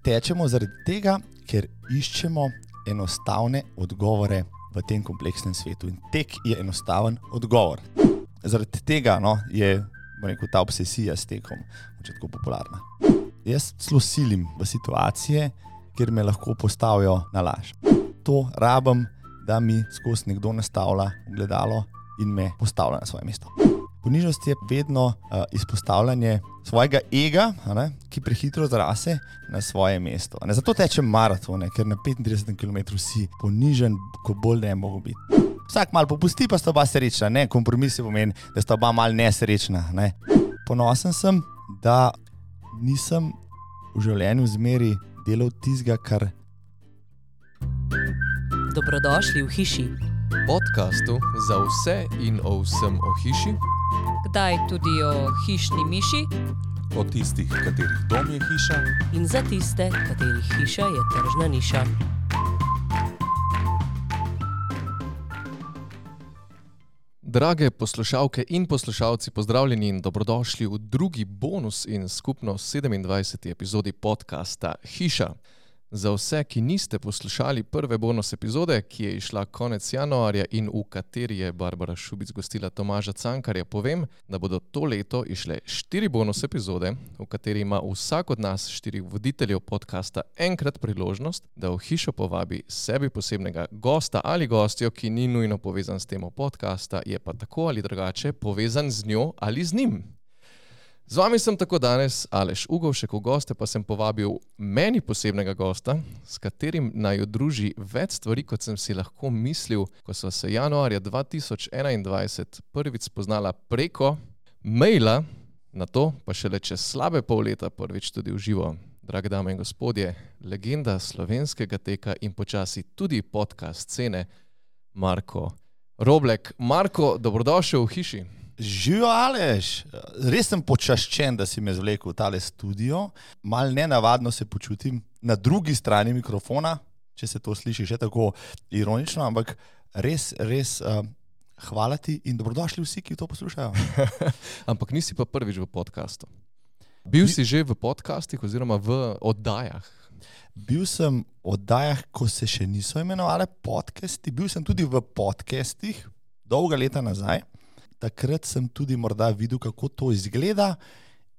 tečemo zaradi tega, ker iščemo enostavne odgovore v tem kompleksnem svetu. In tek je enostaven odgovor. Zaradi tega je ta obsesija s tekom tako popularna. Jaz celo silim v situacije, kjer me lahko postavijo na laž. To rabim, da mi skozi nekdo nastavlja ogledalo in me postavlja na svoje mesto. Ponižnost je vedno izpostavljanje svojega ega, ki prehitro zrase na svoje mesto. Zato tečem maratone, ker na 35 km si ponižen, ko bolj ne mogo biti. Vsak malo popusti, pa sta oba srečna. Kompromis pomeni, da sta oba malo nesrečna. Ponosen sem, da nisem v življenju zmeri delal tistega, kar... Dobrodošli v hiši. Podcastu za vse in o vsem o hiši. Kdaj tudi o hišni miši. O tistih, katerih dom je hiša. In za tiste, katerih hiša je tržna niša. Drage poslušalke in poslušalci, pozdravljeni in dobrodošli v drugi bonus in skupno 27. epizodi podcasta Hiša. Za vse, ki niste poslušali prve bonus epizode, ki je išla konec januarja in v kateri je Barbara Šubic gostila Tomaža Cankarja, povem, da bodo to leto išle 4 bonus epizode, v kateri ima vsak od nas 4 voditeljev podcasta enkrat priložnost, da v hišo povabi sebi posebnega gosta ali gostjo, ki ni nujno povezan s temo podcasta, je pa tako ali drugače povezan z njo ali z njim. Z vami sem tako danes Aleš Ugovšek, v goste pa sem povabil meni posebnega gosta, s katerim naj jo druži več stvari, kot sem si lahko mislil, ko sva se januarja 2021 prvič spoznala preko maila, na to pa šele čez slabe pol leta prvič tudi v živo. Drage dame in gospodje, legenda slovenskega teka in počasi tudi podcast scene, Marko Roblek. Marko, dobrodošel v hiši. Živijo, Aleš, res sem počaščen, da si me zvlekel v tale studio. Mal nenavadno se počutim na drugi strani mikrofona, če se to sliši še tako ironično, ampak res hvala ti in dobrodošli vsi, ki to poslušajo. Ampak nisi pa prvič v podcastu. Bil si že v podcastih oziroma v oddajah? Bil sem v oddajah, ko se še niso imenovali podcasti. Bil sem tudi v podcastih dolga leta nazaj. Takrat sem tudi morda videl, kako to izgleda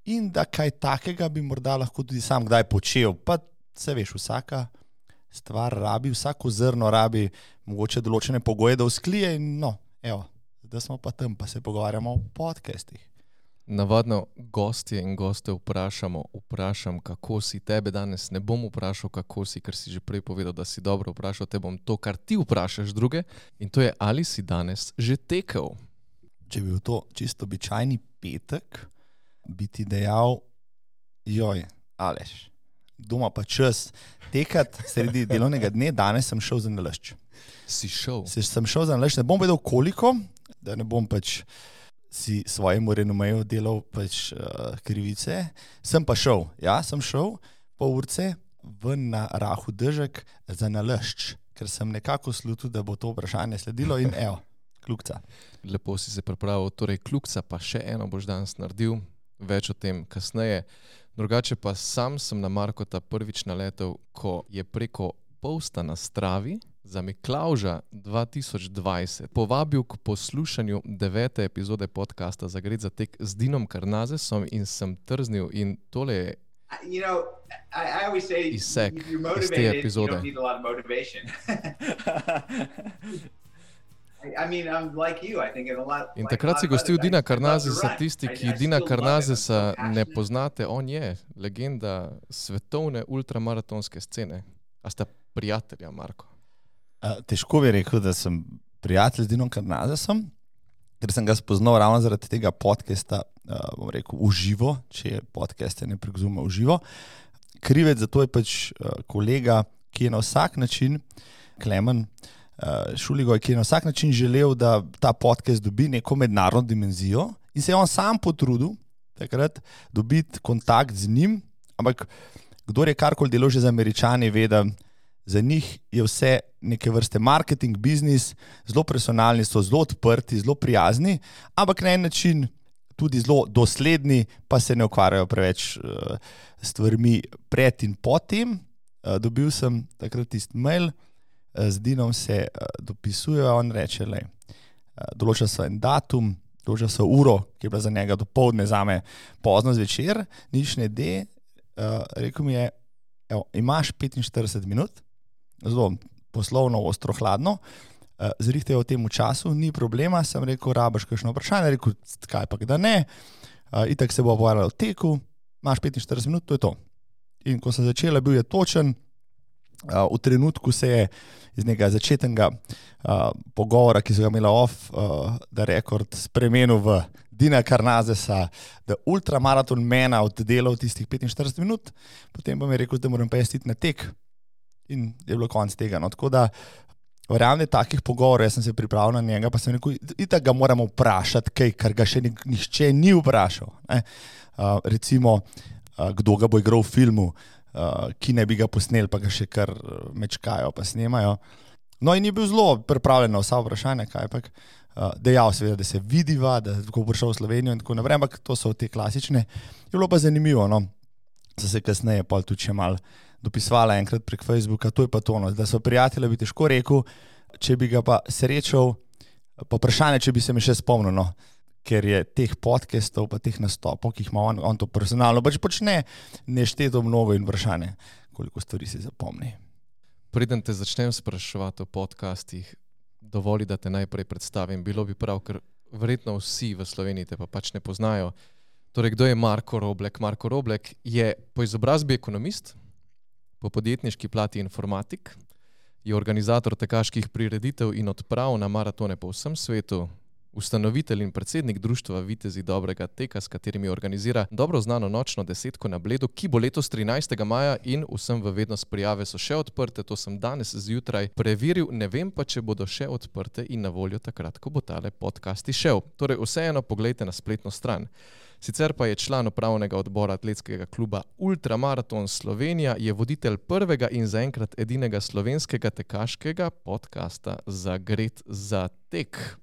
in da kaj takega bi morda lahko tudi sam kdaj počel. Pa se veš, vsaka stvar rabi, vsako zrno rabi mogoče določene pogoje, da vzklije in da smo pa tam, pa se pogovarjamo o podcastih. Navadno gostje in goste vprašam, kako si. Tebe danes ne bom vprašal, kako si, ker si že prej povedal, da si dobro vprašal. Te bom to, kar ti vprašaš druge, in to je, ali si danes že tekel. Če bi bil to čisto običajni petek, bi ti dejal, Aleš, doma pa čas tekat sredi delovnega dne, danes sem šel za nalašč. Si šel? Sem šel za nalašč, ne bom vedel koliko, da ne bom si svojemu renomeju delal krivice. Sem pa šel, sem šel pol urce na rahu dežek za nalašč, ker sem nekako slutil, da bo to vprašanje sledilo in kljukca. Lepo si se pripravil, torej kljukca pa še eno boš danes naredil, več o tem kasneje. Drugače pa sam sem na Markota prvič naletel, ko je preko posta na Stravi za Miklavža 2020 povabil k poslušanju 9. epizode podcasta Zagret za tek z Dinom Karnazesom in sem trznil in tole je izsek iz te epizode. In takrat si gostil Dina Karnazesa, tisti, ki Dina Karnazesa ne poznate, on je legenda svetovne ultramaratonske scene. A sta prijatelja, Marko? Težko bi rekel, da sem prijatelj z Dinom Karnazesom, ker sem ga spoznal ravno zaradi tega podcasta, bom rekel, v živo, če je podcast ne preguzume v živo. Krivec za to je kolega, ki je na vsak način, Klemen Šuligoj, ki je na vsak način želel, da ta podcast dobi neko mednarodno dimenzijo in se je on sam potrudil takrat dobiti kontakt z njim, ampak kdor je karkoli delal že z Američani, ve, da za njih je vse neke vrste marketing, biznis, zelo personalni so, zelo odprti, zelo prijazni, ampak na en način tudi zelo dosledni, pa se ne ukvarjajo preveč stvarmi pred in potem. Dobil sem takrat tisti mail, z Dinom se dopisujejo, on reče, določa so en datum, določa so uro, ki je bila za njega dopoldne, zame pozno zvečer, nič ne de. Rekel mi je, imaš 45 minut, zelo poslovno, ostro, hladno, zrihtaj v tem času, ni problema, sem rekel, rabaš kakšno vprašanje, rekel, kaj pa da ne, itak se bo pogovarjalo o teku, imaš 45 minut, to je to. In ko sem začela, bil je točen, v trenutku se je iz nekega začetnega pogovora, ki so ga imela off the record, spremenil v Dina Karnazesa, da ultramaraton mena oddelal tistih 45 minut, potem pa mi je rekel, da moram pa jaz iti na tek in je bilo konc tega. No, tako da verjamem, takih pogovorov, jaz sem se pripravil na njega, pa sem rekel, itak ga moramo vprašati kaj, kar ga še nihče ni vprašal. Recimo, kdo ga bo igral v filmu, ki ne bi ga posneli, pa ga še kar mečkajo, pa snemajo. No in je bil zelo pripravljen na vsa vprašanja, kajpak dejal seveda, da se vidiva, da bo prišel v Slovenijo in tako naprej, ampak to so te klasične. Je bilo pa zanimivo, no. So se kasneje pol tudi še malo dopisovala enkrat prek Facebooka, to je pa to, no, da so prijatelja bi težko rekel, če bi ga pa srečal, pa vprašanje, če bi se mi še spomnil, no. Ker je teh podcastov, pa teh nastopov, ki jih ima on to personalno, pač počne nešteto mnogo in vprašanje, koliko stvari se zapomni. Preden te začnem spraševati o podcastih, dovoli, da te najprej predstavim. Bilo bi prav, ker verjetno vsi v Sloveniji te pa pač ne poznajo. Torej, kdo je Marko Roblek? Marko Roblek je po izobrazbi ekonomist, po podjetniški plati informatik, je organizator tekaških prireditev in odprav na maratone po vsem svetu, ustanovitelj in predsednik društva Vitezi dobrega teka, s katerimi organizira dobro znano nočno desetko na Bledu, ki bo letos 13. maja in vsem v vednost prijave so še odprte, to sem danes zjutraj preveril, ne vem pa, če bodo še odprte in na voljo takrat, ko bo tale podcast izšel. Torej, vseeno poglejte na spletno stran. Sicer pa je član upravnega odbora atletskega kluba Ultramaraton Slovenija, je voditelj prvega in zaenkrat edinega slovenskega tekaškega podcasta Zagret za tek.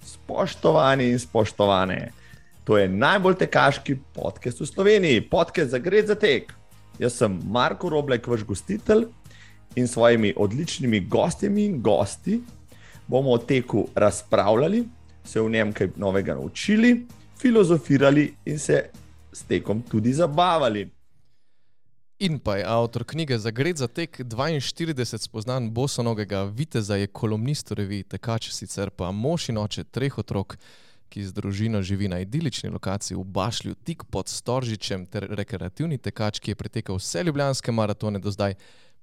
Spoštovani in spoštovane, to je najbolj tekaški podcast v Sloveniji, podcast Zagret za tek. Jaz sem Marko Roblek, vaš gostitelj in s svojimi odličnimi gostjami in gosti bomo o teku razpravljali, se v njem kaj novega naučili, filozofirali in se s tekom tudi zabavali. In pa je avtor knjige Zagret za tek 42 spoznan bosonogega viteza, je kolumnist v reviji Tekač, sicer pa mož in oče 3 otrok, ki z družino živi na idilični lokaciji v Bašlju, tik pod Storžičem, ter rekreativni tekač, ki je pretekal vse ljubljanske maratone do zdaj,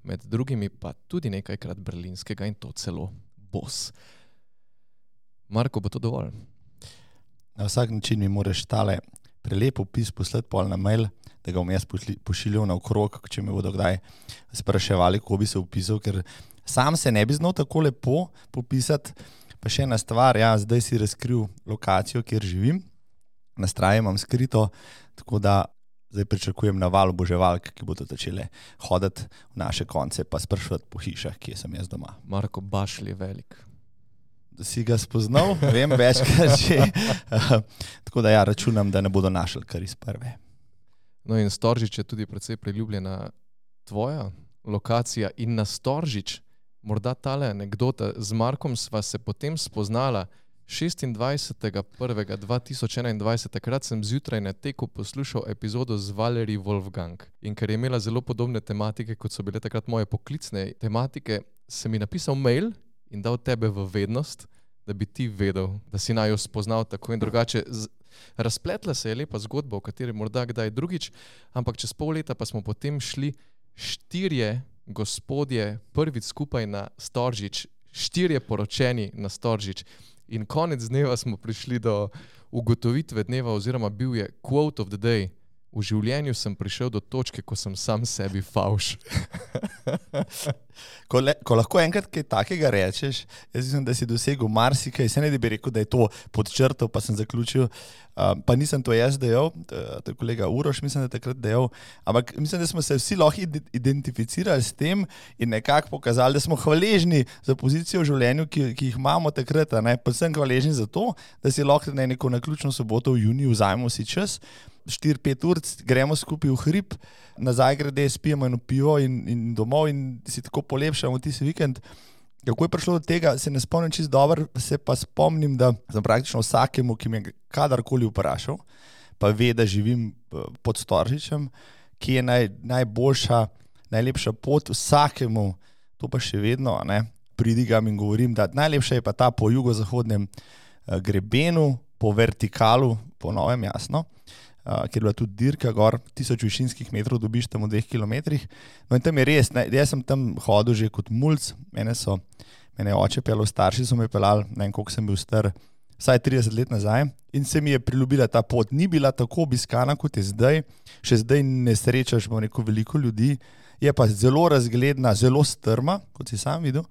med drugimi pa tudi nekajkrat berlinskega in to celo Bos. Marko, bo to dovolj? Na vsak način mi moraš tale prelep opis poslati pol na mail, da ga bom jaz pošiljal naokrog, če me bodo kdaj spraševali, kako bi se opisal, ker sam se ne bi znal tako lepo popisati. Pa še ena stvar, zdaj si razkril lokacijo, kjer živim, na straji imam skrito, tako da zdaj pričakujem naval oboževalk, ki bodo začele hoditi v naše konce, pa spraševati po hišah, kje sem jaz doma. Marko, Bašlj je velik. Da si ga spoznal, vem večkrat že, tako da računam, da ne bodo našli kar iz prve. No in Storžič je tudi precej priljubljena tvoja lokacija in na Storžič, morda tale anekdota, z Markom sva se potem spoznala 26.1.2021, takrat sem zjutraj na teku poslušal epizodo z Valerie Wolfgang in ker je imela zelo podobne tematike, kot so bile takrat moje poklicne tematike, sem mi napisal mail in dal tebe v vednost, da bi ti vedel, da si naju spoznal tako in drugače. Razpletla se je lepa zgodba, o kateri morda kdaj drugič, ampak čez pol leta pa smo potem šli 4 gospodje prvič skupaj na Storžič, 4 poročeni na Storžič in konec dneva smo prišli do ugotovitve dneva oziroma bil je quote of the day. V življenju sem prišel do točke, ko sem sam sebi favš. Ko lahko enkrat kaj takega rečeš, jaz mislim, da si dosegel marsikaj, se ne bi rekel, da je to pod črto, pa sem zaključil, pa nisem to jaz dejal, to je kolega Uroš, mislim, da je takrat dejal, ampak mislim, da smo se vsi lahko identificirali s tem in nekako pokazali, da smo hvaležni za pozicijo v življenju, ki jih imamo takrat, pa sem hvaležni za to, da si lahko na neko naključno soboto v juniju vzajemo si čas, 4-5 ur, gremo skupaj v hrib, nazaj grede, spijemo eno pivo in domov in si tako polepšamo tisti vikend. Kako je prišlo do tega, se ne spomnim čisto dobro, se pa spomnim, da sem praktično vsakemu, ki me kadarkoli vprašal, pa ve, da živim pod Storžičem, ki je najboljša, najlepša pot vsakemu, to pa še vedno, pridigam in govorim, da najlepša je pa ta po jugozahodnem grebenu, po vertikalu, po novem jasno, kjer je bila tudi dirka gor, 1000 višinskih metrov dobiš tam v 2 kilometrih. No in tam je res, jaz sem tam hodil že kot mulc, mene je oče pelal, starši so me pelali, ne vem, koliko sem bil star, vsaj 30 let nazaj in se mi je priljubila ta pot. Ni bila tako obiskana, kot je zdaj, še zdaj ne srečaš, bom rekel, veliko ljudi, je pa zelo razgledna, zelo strma, kot si sam videl.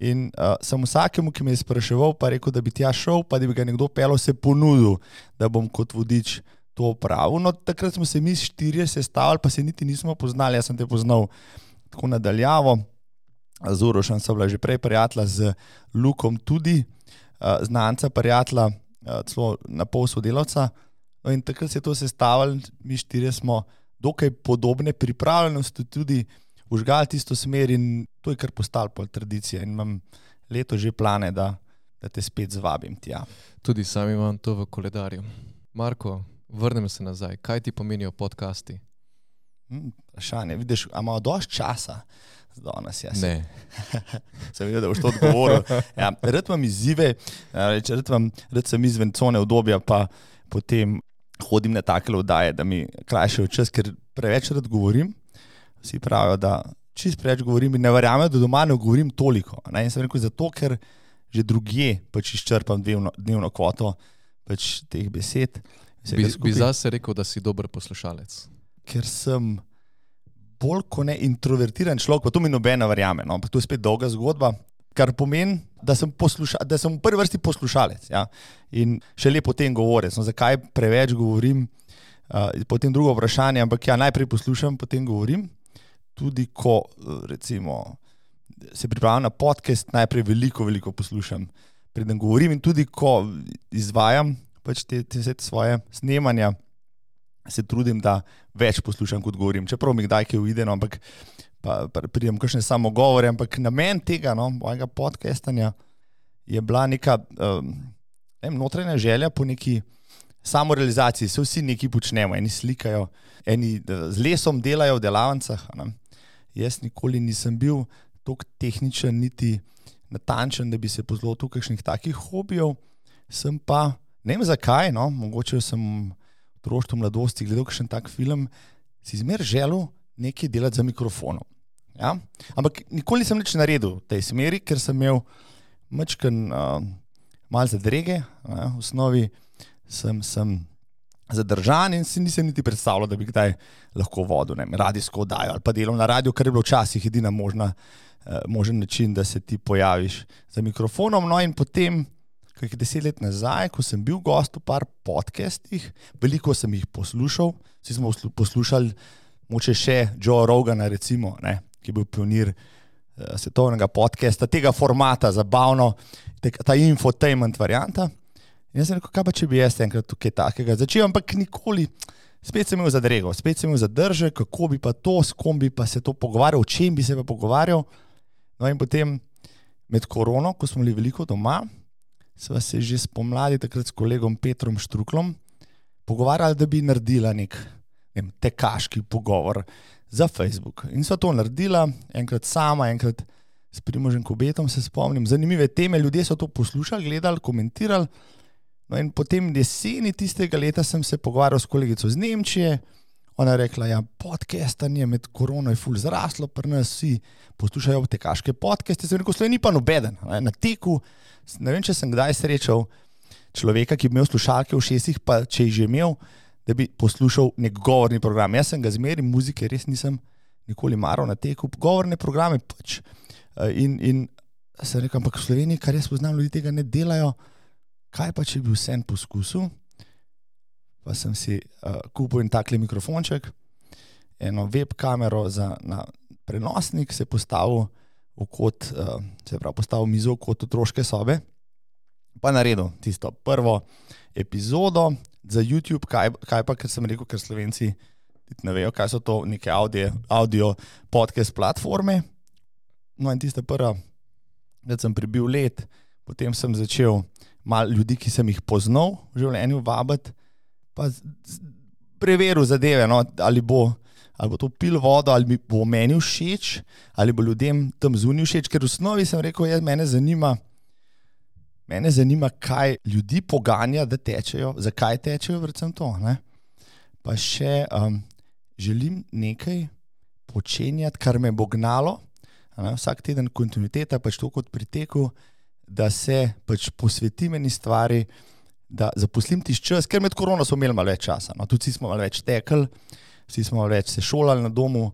In sem vsakemu, ki me je spraševal, pa rekel, da bi tja šel, pa da bi ga nekdo pelal, se ponudil, da bom kot vodič to opravil. No, takrat smo se mi 4 sestavili, pa se niti nismo poznali, jaz sem te poznal tako nadaljavo, z Urošem sem bila že prej prijatelja, z Lukom tudi, znanca prijatelja, celo na pol sodelavca. No, in takrat se je to sestavili, mi 4 smo dokaj podobne pripravljenosti tudi užgali tisto smer in to je kar postalo pol tradicija in imam leto že plane, da te spet zvabim tja. Tudi sam imam to v koledarju. Marko, vrnem se nazaj. Kaj ti pomenijo podcasti? Vprašanje. Vidiš, a imajo dosti časa danes? Ne. Sem videl, da boš to odgovoril. Ja, rad imam izzive, rad sem izven cone obdobja, pa potem hodim na take oddaje, da mi krajšajo čas, ker preveč rad govorim. Vsi pravijo, da čist preveč govorim in ne verjamem, da doma ne govorim toliko. In sem rekel, zato, ker že drugje pač izčrpam dnevno kvoto pač teh besed. Bi zase rekel, da si dober poslušalec? Ker sem bolj kot ne introvertiran človek, pa to mi noben ne verjame, no? To je spet dolga zgodba, kar pomeni, da sem v prvi vrsti poslušalec, ja? In šele potem govorec. No, zakaj preveč govorim, potem drugo vprašanje, ampak ja, najprej poslušam, potem govorim. Tudi ko recimo se pripravljam na podcast, najprej veliko poslušam, preden govorim in tudi ko izvajam pač te svoje snemanja, se trudim, da več poslušam, kot govorim. Čeprav mi kdaj kaj uide, no, ampak pa pridem kakšne samogovore, ampak namen tega, no, mojega podcastanja je bila neka notranja želja po neki samorealizaciji. Se vsi nekaj počnemo, eni slikajo, eni z lesom delajo v delavnicah. Jaz nikoli nisem bil toliko tehničen, niti natančen, da bi se pozlotil kakšnih takih hobijev. Sem pa ne vem zakaj, no, mogoče sem v otroštvu mladosti gledal kakšen tak film, si zmer želel nekaj delati za mikrofonom. Ja? Ampak nikoli nisem nič naredil v tej smeri, ker sem imel majčken malo zadrege, v osnovi sem zadržan in si nisem niti predstavljal, da bi kdaj lahko vodil radijsko oddajo ali pa delal na radiju, kar je bilo včasih edina možen način, da se ti pojaviš za mikrofonom. No in potem, kakih 10 let nazaj, ko sem bil gost v par podcastih, veliko sem jih poslušal, vsi smo poslušali moče še Joe Rogana recimo, ki je bil pionir svetovnega podcasta, tega formata, zabavno, ta infotainment varianta. In jaz sem rekel, kaj pa če bi jaz enkrat tukaj takega začel, ampak nikoli, spet sem imel zadrego, spet sem imel zadržek, kako bi pa to, s kom bi pa se to pogovarjal, o čem bi se pa pogovarjal. No in potem med korono, ko smo bili veliko doma, sva se že spomladi takrat s kolegom Petrom Štruklom pogovarjali, da bi naredila nek tekaški pogovor za Facebook. In sva to naredila, enkrat sama, enkrat s Primožem Kobetom, se spomnim. Zanimive teme, ljudje so to poslušali, gledali, komentirali. No in potem jeseni tistega leta sem se pogovarjal s kolegico z Nemčije. Ona je rekla, ja, podcastanje med korono je ful zraslo, pri nas vsi poslušajo tekaške podcaste. Sem rekel, Sloveniji pa nobeden. Na teku, ne vem, če sem kdaj srečal človeka, ki bi imel slušalke v ušesih, pa če jih že imel, da bi poslušal nek govorni program. Jaz sem ga zmeri, muzike res nisem nikoli maral na teku, govorne programe pač. In sem rekel, ampak v Sloveniji, kar jaz poznam, ljudi tega ne delajo, kaj pa, če bi vsem poskusil? Pa sem si kupil en takle mikrofonček, eno web kamero na prenosnik, se postavil v kot, postavil mizo v kot otroške sobe, pa naredil tisto prvo epizodo za YouTube, kaj pa, ker sem rekel, ker Slovenci ne vejo, kaj so to neke audio podcast platforme. No in tista prva, da sem prebil let, potem sem začel malo ljudi, ki sem jih poznal v življenju, vabiti, pa preveril zadeve, no, ali bo to pil vodo, ali mi bo meni všeč, ali bo ljudem tam zunaj všeč, ker v osnovi sem rekel, mene zanima, kaj ljudi poganja, da tečejo, zakaj tečejo, predvsem to, ne. Pa še želim nekaj počenjati, kar me bo gnalo, ne, vsak teden kontinuiteta, pač to kot pri teku, da se pač posvetim eni stvari, da zaposlim tisti čas, ker med korona smo imeli malo več časa, no, tudi smo malo več tekli, vsi smo malo več se šolali na domu,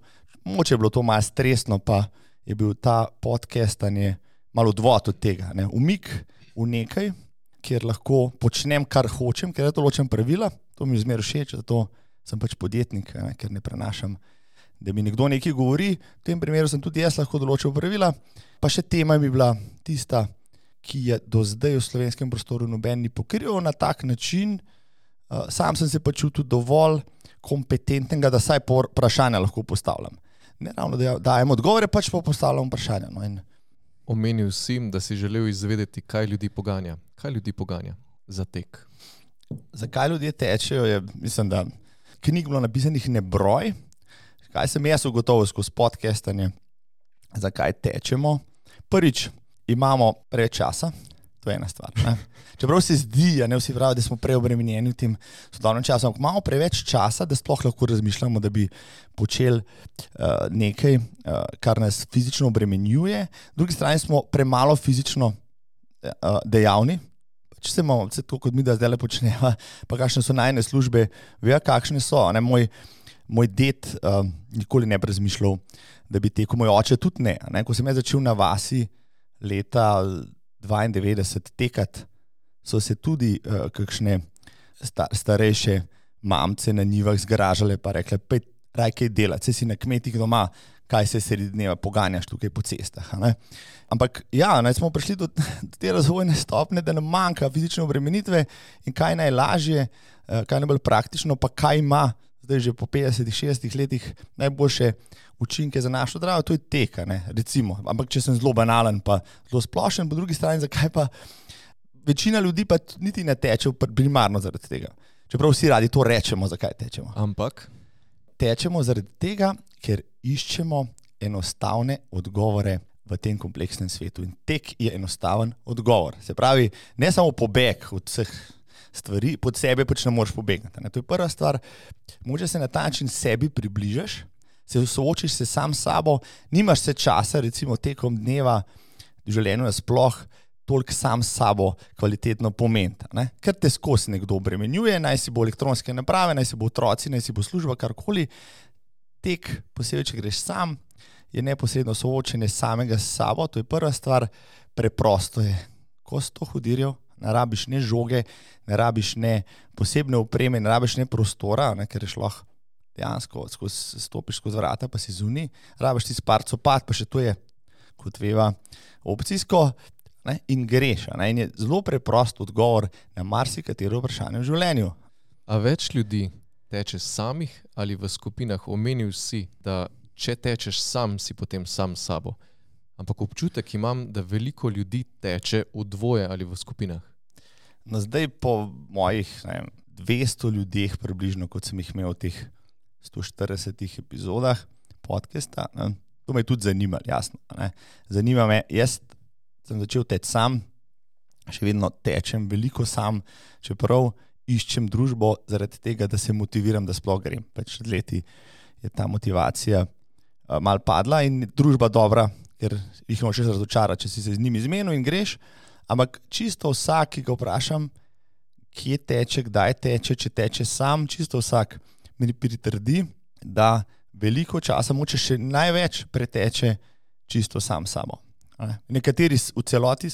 mogoče je bilo to malo stresno, pa je bil ta podcastanje malo odvod od tega, ne, umik v nekaj, kjer lahko počnem, kar hočem, ker je določen pravila, to mi je zmeraj všeč, zato sem pač podjetnik, ne, ker ne prenašam, da mi nekdo nekaj govori, v tem primeru sem tudi jaz lahko določil pravila, pa še tema mi bila tista, ki je do zdaj v slovenskem prostoru noben ni pokrival na tak način, sam sem se pa čutil dovolj kompetentnega, da saj vprašanja lahko postavljam. Ne ravno, da dajem odgovore, pač pa postavljam vprašanja. No, in Omenil si, da si želel izvedeti, kaj ljudi poganja. Kaj ljudi poganja za tek? Zakaj ljudje tečejo, je, mislim, da knjig bilo napisanih nebroj. Kaj sem jaz ugotovil skozi podcastanje, zakaj tečemo? Prvič, imamo preveč časa, to je ena stvar. Ne? Čeprav se zdi, ne vsi pravijo, da smo preobremenjeni v tem sodobnem času, ampak imamo preveč časa, da sploh lahko razmišljamo, da bi počeli nekaj, kar nas fizično obremenjuje. V drugi strani smo premalo fizično dejavni. Če se imamo, tako kot mi, da zdaj le počneva, pa kakšne so najne službe, vejo, kakšne so. Ne? Moj ded nikoli ne bi razmišljal, da bi tekel, moj oče tudi ne. Ko sem jaz začel na vasi leta 92 tekati, so se tudi kakšne starejše mamce na njivah zgražale pa rekle, pej raj kaj delati, se si na kmetih doma, kaj se sredi dneva poganjaš tukaj po cestah. Ne? Ampak ja, smo prišli do te razvojne stopnje, da nam manjka fizične obremenitve in kaj najlažje, kaj najbolj praktično, pa kaj ima zdaj že po 50-60 letih najboljše učinke za našo zdravo, to je tek, recimo. Ampak če sem zelo banalen pa zelo splošen, po drugi strani, zakaj pa večina ljudi pa niti ne teče primarno zaradi tega. Čeprav vsi radi to rečemo, zakaj tečemo. Ampak? Tečemo zaradi tega, ker iščemo enostavne odgovore v tem kompleksnem svetu. In tek je enostaven odgovor. Se pravi, ne samo pobeg od vseh stvari, pod sebe pač ne moreš pobegniti. To je prva stvar, mogoče se na ta način sebi približaš, se soočiš se sam s sabo, nimaš se časa, recimo tekom dneva v življenju sploh toliko sam s sabo kvalitetno pomeniti. Ker te skozi nekdo obremenjuje, naj si bo elektronske naprave, naj si bo otroci, naj si bo služba, karkoli. Tek, posebej, če greš sam, je neposredno soočenje samega s sabo, to je prva stvar, preprosto je. Ko si to hodirjo, ne rabiš ne žoge, ne rabiš ne posebne opreme, ne rabiš ne prostora, ker je šlo dejansko, stopiš skozi vrata, pa si zunaj, rabiš ti par copat, pa še to je, kot veva, opcijsko, in greš. In je zelo preprost odgovor na marsikatero vprašanje v življenju. A več ljudi teče samih ali v skupinah? Omenil si, da če tečeš sam, si potem sam s sabo. Ampak občutek imam, da veliko ljudi teče v dvoje ali v skupinah. No, zdaj po mojih 200 ljudeh približno, kot sem jih imel v teh 140 epizodah podcasta, to me je tudi zanimalo, jasno. Zanima me, jaz sem začel teči sam, še vedno tečem veliko sam, čeprav iščem družbo zaradi tega, da se motiviram, da sploh grem. Pač leti je ta motivacija malo padla in družba dobra, ker jih moraš razočarati, če si se z njimi zmenil in greš, ampak čisto vsak, ki ga vprašam, kje teče, kdaj teče, če teče sam, čisto vsak mi pritrdi, da veliko časa, moče še največ preteče čisto sam sabo. Nekateri v celoti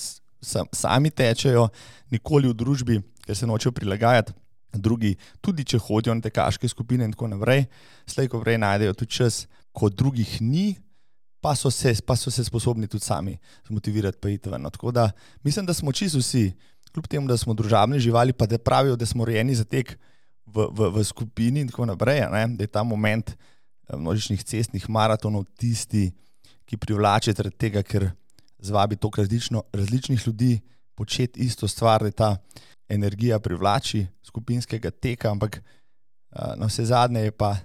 sami tečejo, nikoli v družbi, ker se nočejo prilagajati, drugi, tudi če hodijo na tekaške skupine in tako naprej, slej ko prej najdejo tudi čas, ko drugih ni, pa so se sposobni tudi sami zmotivirati pa iti ven. Tako da mislim, da smo čisto vsi, kljub temu, da smo družabne živali, pa da pravijo, da smo rojeni za tek v skupini in tako naprej, da je ta moment množičnih cestnih maratonov tisti, ki privlače zaradi tega, ker zvabi toliko različnih ljudi početi isto stvar, da ta energija privlači skupinskega teka, ampak na vse zadnje je pa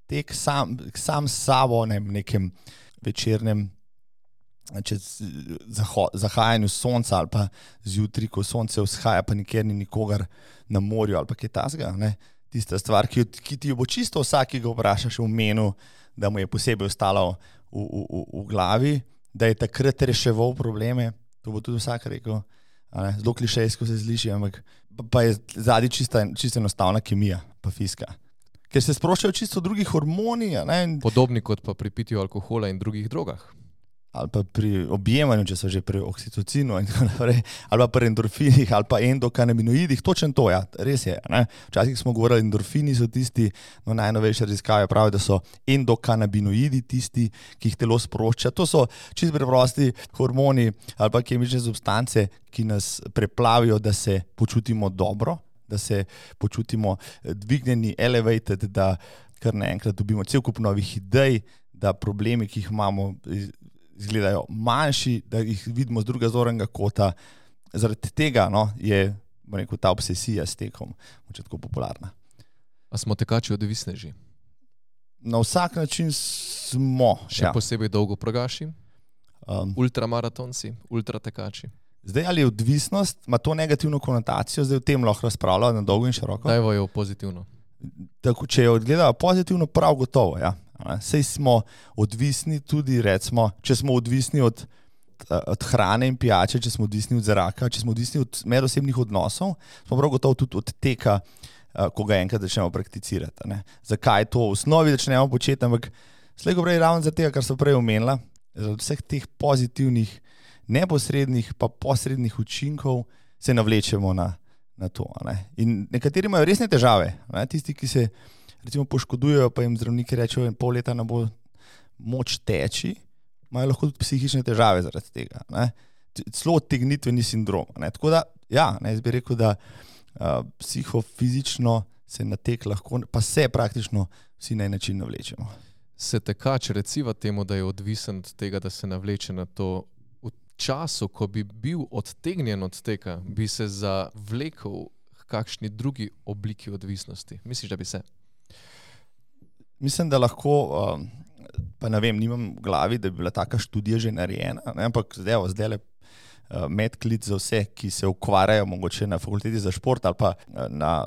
tek sam s sabo, ne, v nekem večernem zahajanju sonca ali pa zjutraj, ko sonce vzhaja, pa nikjer ni nikogar na morju ali pa kaj tasga, ne. Tista stvar, ki ti jo bo čisto vsak, ki ga vprašaš v menu, da mu je posebej ostalo v glavi, da je takrat reševal probleme, to bo tudi vsak rekel, zelo klišejsko se sliši, ampak pa je zadnji čisto enostavna kemija, pa fizika. Ker se sproščajo čisto drugi hormoni. Podobni kot pa pri pitju alkohola in drugih drogah. Ali pa pri objemanju, če so že pri oksitocinu in tako naprej, ali pa pri endorfinih, ali pa endokanabinoidih, točno to, ja, res je. Ne? Včasih smo govorili, endorfini so tisti, no najnovejše raziskave pravijo, da so endokanabinoidi tisti, ki jih telo sprošča. To so čisto preprosti hormoni ali pa kemične substance, ki nas preplavijo, da se počutimo dobro, da se počutimo dvignjeni, elevated, da kar naenkrat dobimo cel kup novih idej, da problemi, ki jih imamo, izgledajo manjši, da jih vidimo z druga zornega kota. Zaradi tega je ta obsesija s tekom tako popularna. A smo tekači odvisneži? Na vsak način smo. Še posebej dolgoprogaši, ultramaratonci, ultratekači. Zdaj, ali je odvisnost, ima to negativno konotacijo, zdaj o tem lahko razpravljajo na dolgo in široko? Dajvo jo pozitivno. Tako, če jo odgledajo pozitivno, prav gotovo, ja. Sej smo odvisni tudi, recimo, če smo odvisni od hrane in pijače, če smo odvisni od zraka, če smo odvisni od medosebnih odnosov, smo prav gotovo tudi od teka, ko ga enkrat začnemo prakticirati. Ne. Zakaj to v osnovi začnemo početi, ampak slej ko prej ravno zaradi tega, kar so prej omenila, zaradi vseh teh pozitivnih, neposrednih pa posrednih učinkov se navlečemo na to. Ne. In nekateri imajo resne težave, ne. Tisti, ki se recimo poškodujejo, pa jim zdravniki rečejo, in pol leta ne bo moč teči, imajo lahko tudi psihične težave zaradi tega. Ne. Celo odtegnitveni sindrom. Ne. Tako da, ja, ne, jaz bi rekel, da psihofizično se na tek lahko, pa se praktično vsi na en način navlečemo. Se tekač reciva temu, da je odvisen od tega, da se navleče na to v času, ko bi bil odtegnjen od teka, bi se zavlekel k kakšni drugi obliki odvisnosti? Misliš, da bi se? Mislim, da lahko, pa ne vem, nimam v glavi, da bi bila taka študija že narejena, ne, ampak zdaj medklic za vse, ki se ukvarjajo mogoče na fakulteti za šport ali pa na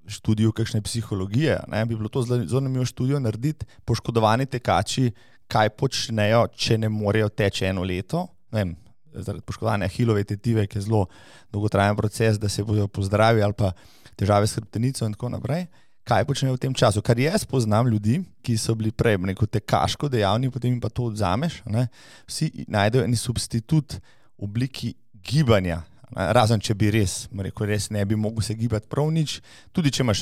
študiju kakšne psihologije, ne, bi bilo to zelo zanimivo študijo narediti, poškodovani tekači, kaj počnejo, če ne morejo teči eno leto, ne vem, zaradi poškodovanja ahilove tetive, ki je zelo dolgotrajen proces, da se bodo pozdravili ali pa težave s hrbtenico in tako naprej. Kaj počnejo v tem času? Kar jaz poznam ljudi, ki so bili prej neko tekaško dejavni, potem jim pa to odzameš, ne? Vsi najdejo en substitut v obliki gibanja, ne? Razen če bi res ne bi mogel se gibati prav nič, tudi če imaš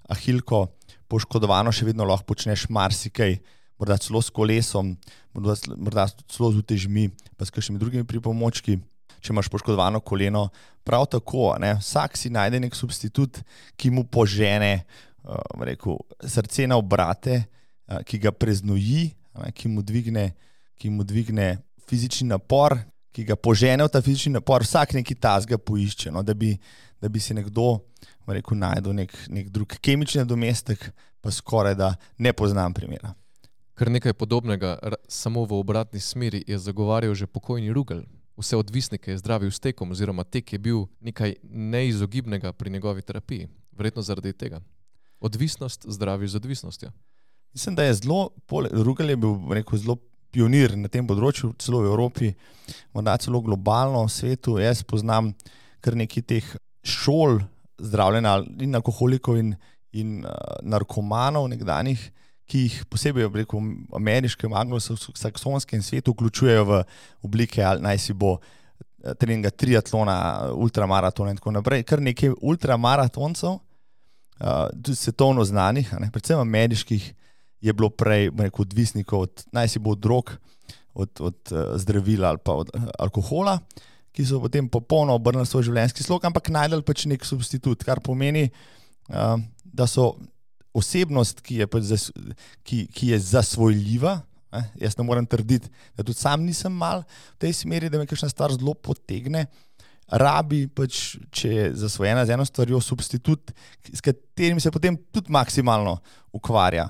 ahilko poškodovano, še vedno lahko počneš marsikaj, morda celo s kolesom, morda celo z utežmi, pa s kakšnimi drugimi pripomočki. Če imaš poškodovano koleno, prav tako, ne? Vsak si najde nek substitut, ki mu požene srce na obrate, ki ga preznoji, ki mu dvigne fizični napor, ki ga požene v ta fizični napor, vsak neki tasga poišče, no, da bi si nekdo najdel nek drug kemični nadomestek, pa skoraj da ne poznam primera. Kar nekaj podobnega, samo v obratni smeri, je zagovarjal že pokojni Rugel. Vse odvisnike je zdravil s tekom, oziroma tek je bil nekaj neizogibnega pri njegovi terapiji. Verjetno zaradi tega. Odvisnost zdravi z odvisnostjo. Mislim, da je Rugel je bil zelo pionir na tem področju, celo v Evropi, morda celo globalno v svetu. Jaz poznam kar nekaj teh šol zdravljenja in alkoholikov in narkomanov nekdanjih, ki jih posebej v ameriškem, anglosaksonskem svetu vključujejo v oblike, ali naj si bo treninga triatlona, ultramaratona in tako naprej. Kar nekaj ultramaratoncev, tudi svetovno znanih, predvsem ameriških, je bilo prej odvisnikov od, naj si bo od drog, od zdravila ali pa od alkohola, ki so potem popolno obrnili svoj življenjski slog, ampak najdel pač nek substitut, kar pomeni, da so osebnost, ki je zasvojljiva. Jaz ne morem trditi, da tudi sam nisem mal v tej smeri, da me kakšna stvar zelo potegne. Rabi pač, če je zasvojena z eno stvarjo, substitut, s katerim se potem tudi maksimalno ukvarja.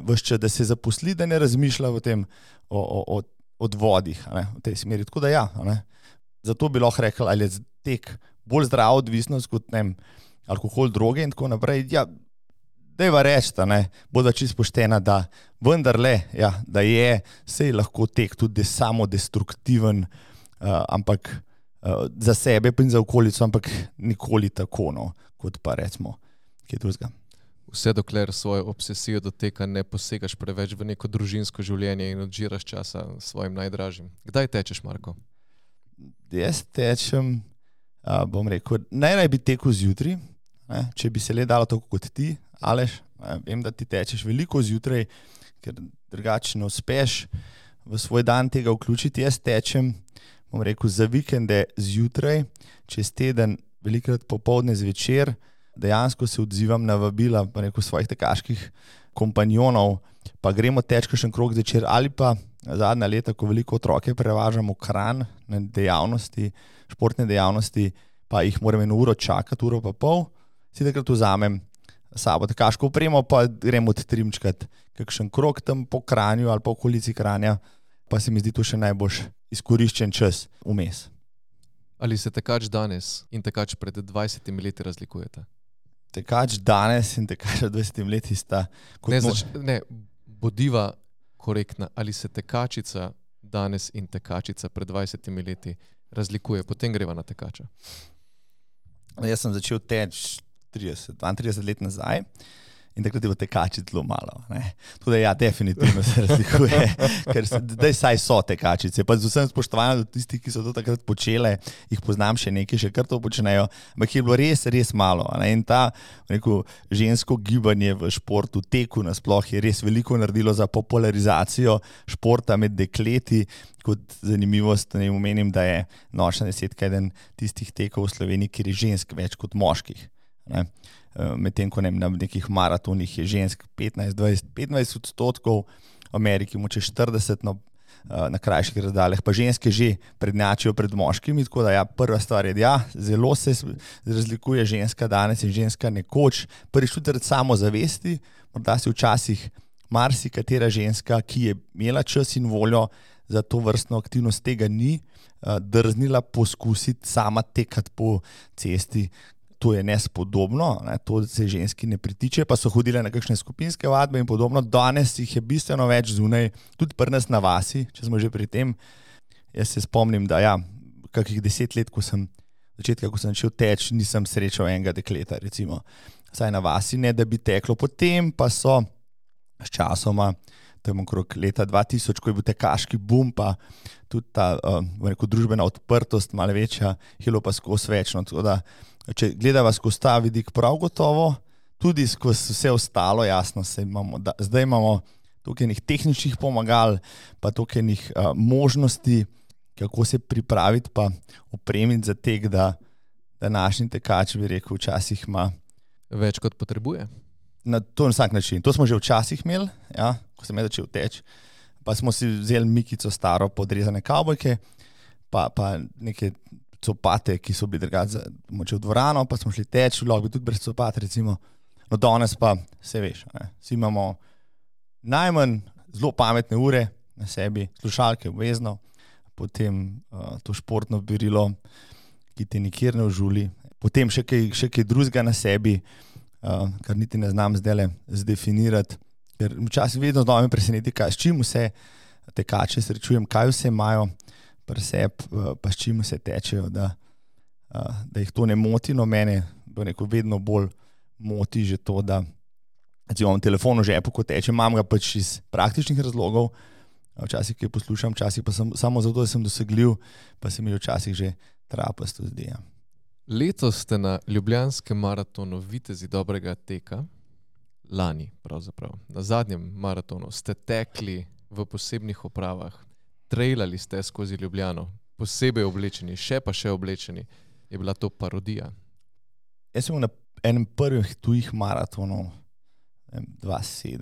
Ves čas, da se zaposli, da ne razmišlja o tem, o odvodih, v tej smeri. Tako da ja, zato bi lahko rekel, ali je tek bolj zdrava odvisnost kot alkohol, droge in tako naprej. Ja, dajva reči, bodo čisto poštena, da vendarle, ja, da je sej lahko tek tudi samodestruktiven, ampak za sebe in za okolico, ampak nikoli tako, kot pa recimo kaj drugega. Vse dokler svojo obsesijo do teka ne posegaš preveč v neko družinsko življenje in odžiraš časa svojim najdražjim. Kdaj tečeš, Marko? Jaz tečem, bom rekel, najraj bi tekel zjutraj, če bi se le dalo tako kot ti, Aleš, vem, da ti tečeš veliko zjutraj, ker drugače ne uspeš v svoj dan tega vključiti. Jaz tečem, bom rekel, za vikende zjutraj, čez teden, velikrat popoldne zvečer, dejansko se odzivam na vabila, pa rekel, svojih tekaških kompanjonov, pa gremo teč kakšen krog zvečer, ali pa zadnja leta, ko veliko otroke prevažamo v Kranj na dejavnosti, športne dejavnosti, pa jih moram 1 uro čakati, 1,5 ure, si takrat vzamem sabo tekaško opremo, pa gremo odtrimčkat kakšen krog tam po Kranju ali po okolici Kranja, pa se mi zdi to še najbolj izkoriščen čas vmes. Ali se tekač danes in tekač pred 20 leti razlikujeta? Tekač danes in tekač pred 20 leti sta... Bodiva korektna. Ali se tekačica danes in tekačica pred 20 leti razlikuje? Potem greva na tekača. Jaz sem začel teči 32 let nazaj in takrat je v tekači zelo malo. Tudi ja, definitivno se razlikuje, ker zdaj saj so tekačice. Pa z vsem spoštovanjem do tistih, ki so to takrat počele, jih poznam še nekaj, še kar to počnejo, ampak je bilo res, res malo. In ta žensko gibanje v športu, teku nasploh je res veliko naredilo za popularizacijo športa med dekleti. Kot zanimivost ne omenim, da je nočna desetka eden tistih tekov v Sloveniji, kjer je žensk več kot moških. Medtem ko na nekih maratonih je žensk 15-20-25%, v Ameriki moče 40%, na krajših razdaljah pa ženske že prednjačijo pred moškimi, tako da ja, prva stvar je, ja, zelo se razlikuje ženska danes in ženska nekoč, prvič tudi samozavesti, morda si včasih marsikatera ženska, ki je imela čas in voljo za to vrstno aktivnost, tega ni drznila poskusiti sama tekati po cesti. To je nespodobno, to se ženski ne pritiče, pa so hodile na kakšne skupinske vadbe in podobno. Danes jih je bistveno več zunaj, tudi pri nas na vasi, če smo že pri tem. Jaz se spomnim, da ja, kakih 10 let, ko sem začel teči, nisem srečal enega dekleta, recimo, saj na vasi, ne da bi teklo. Potem pa so s časoma, tam okrog leta 2000, ko je bil tekaški boom, pa tudi ta družbena odprtost, malo večja, hilo pa skozi večno, tako da če gledava skozi ta vidik, prav gotovo, tudi skozi vse ostalo, jasno, zdaj imamo toliko enih tehničnih pomagal, pa toliko enih možnosti, kako se pripraviti pa opremiti za tek, da današnji tekač, bi rekel, včasih ima več kot potrebuje. Na vsak način. To smo že včasih imeli, ja, ko sem začel teči, pa smo si vzeli Mikico staro podrezane kavbojke, pa neke copate, ki so bili drugače moče v dvorano, pa smo šli teči, lahko bi tudi brez copat, recimo. No danes pa, se veš, vsi imamo najmanj zelo pametne ure na sebi, slušalke obvezno, potem to športno berilo, ki te nikjer ne užuli, potem še kaj drugega na sebi, kar niti ne znam zdajle zdefinirati, ker včasih vedno znova me preseneti, s čim vse tekače srečujem, kaj vse imajo pri sebi, pa s čim se tečejo, da jih to ne moti, no mene vedno bolj moti že to, da imam telefon v žepu, ko tečem, imam ga pač iz praktičnih razlogov, včasih kaj poslušam, včasih pa samo zato, da sem dosegljiv, pa se mi včasih že trapasto zdi. Ja. Letos ste na Ljubljanskem maratonu Vitezi dobrega teka, lani pravzaprav, na zadnjem maratonu ste tekli v posebnih opravah, trailali ste skozi Ljubljano, posebej oblečeni, še oblečeni. Je bila to parodija? Jaz sem na enem prvih tujih maratonov, 2006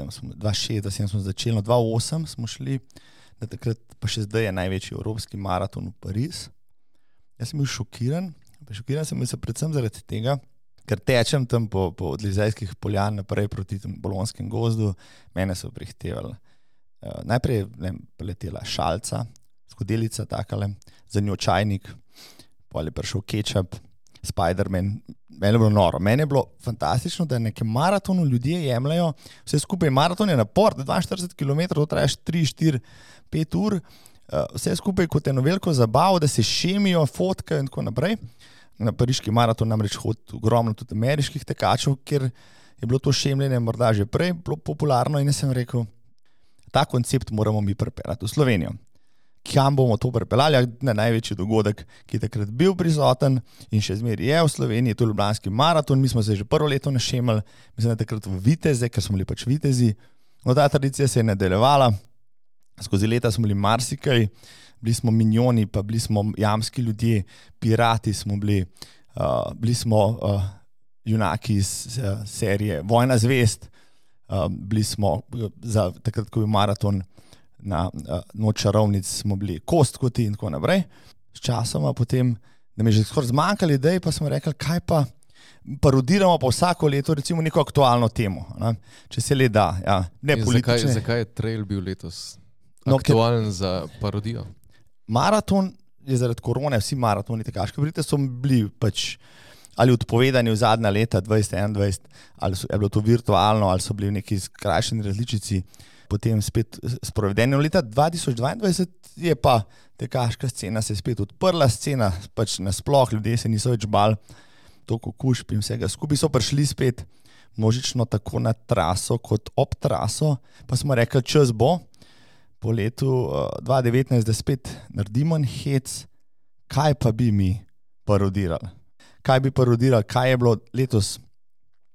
smo začeli, 2008 smo šli, da takrat pa še zdaj je največji evropski maraton v Pariz. Jaz sem bil šokiran sem bil se predvsem zaradi tega, ker tečem tam po Odlizejskih poljan naprej proti Bolonskem gozdu, mene so prihtevali. Najprej letela šalca, skodelica takale, za njo čajnik, potem je prišel kečap, Spider-Man. Meni je bilo noro. Meni je bilo fantastično, da na nekem maratonu ljudje jemljajo vse skupaj. Maraton je napor, 42 km, to trajaš 3, 4, 5 ur, vse skupaj kot eno veliko zabavo, da se šemijo, fotkajo in tako naprej. Na pariški maraton namreč hodi ogromno tudi ameriških tekačev, ker je bilo to šemljenje morda že prej bilo popularno in jaz sem rekel, ta koncept moramo mi pripeljati v Slovenijo. Kam bomo to pripeljali? Na največji dogodek, ki je takrat bil prisoten in še zmeraj je v Sloveniji, to je Ljubljanski maraton, mi smo se že prvo leto našemali, mislim, da takrat v Viteze, ker smo bili pač Vitezi. No, ta tradicija se je nadaljevala, skozi leta smo bili marsikaj, bili smo minjoni, pa bili smo jamski ljudje, pirati smo bili, bili smo junaki iz serije Vojna zvezd, bili smo za takrat, ko je maraton na Noč čarovnic, smo bili Kostkoti in tako naprej. S časoma potem, da mi je že skoraj zmanjkali idej, pa smo rekli, kaj pa parodiramo pa vsako leto recimo neko aktualno temo, ne? Če se le da, ja, ne politične. Zakaj je trail bil letos aktualen za parodijo? Maraton je zaradi korone, vsi maratoni tekaške brite so bili pač ali odpovedani v zadnja leta 2021, ali je bilo to virtualno, ali so bili v neki skrajšani različici, potem spet sprovedeni. Leta 2022 je pa tekaška scena se spet odprla, scena pač nasploh, ljudje se niso več bali toliko kužb in vsega skupaj, so prišli spet množično tako na traso kot ob traso, pa smo rekli, čas bo po letu 2019, da spet naredimo en hec, kaj pa bi mi parodirali. Kaj bi parodirali, kaj je bilo letos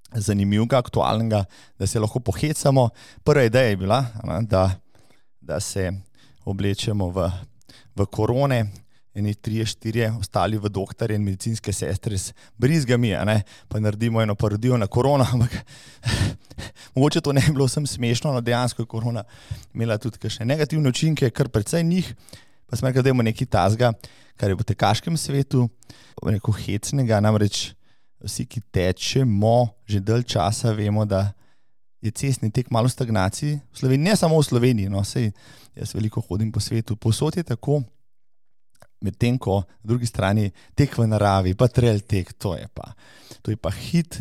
zanimivega, aktualnega, da se lahko pohecamo. Prva ideja je bila, da se oblečemo v korone, eni 3-4, ostali v doktorje in medicinske sestre s brizgami, pa naredimo eno parodijo na korono, ampak mogoče to ne bi bilo vsem smešno, no dejansko je korona imela tudi kakšne negativne učinke, kar precej njih, pa smo rekli, da imamo nekaj tazga, kar je v tekaškem svetu, neko hecnega, namreč vsi, ki tečemo že dalj časa, vemo, da je cestni tek malo v stagnaciji. V Sloveniji, ne samo v Sloveniji, no, sej jaz veliko hodim po svetu, povsod je tako, medtem ko na drugi strani tek v naravi, pa trail tek, to je pa hit,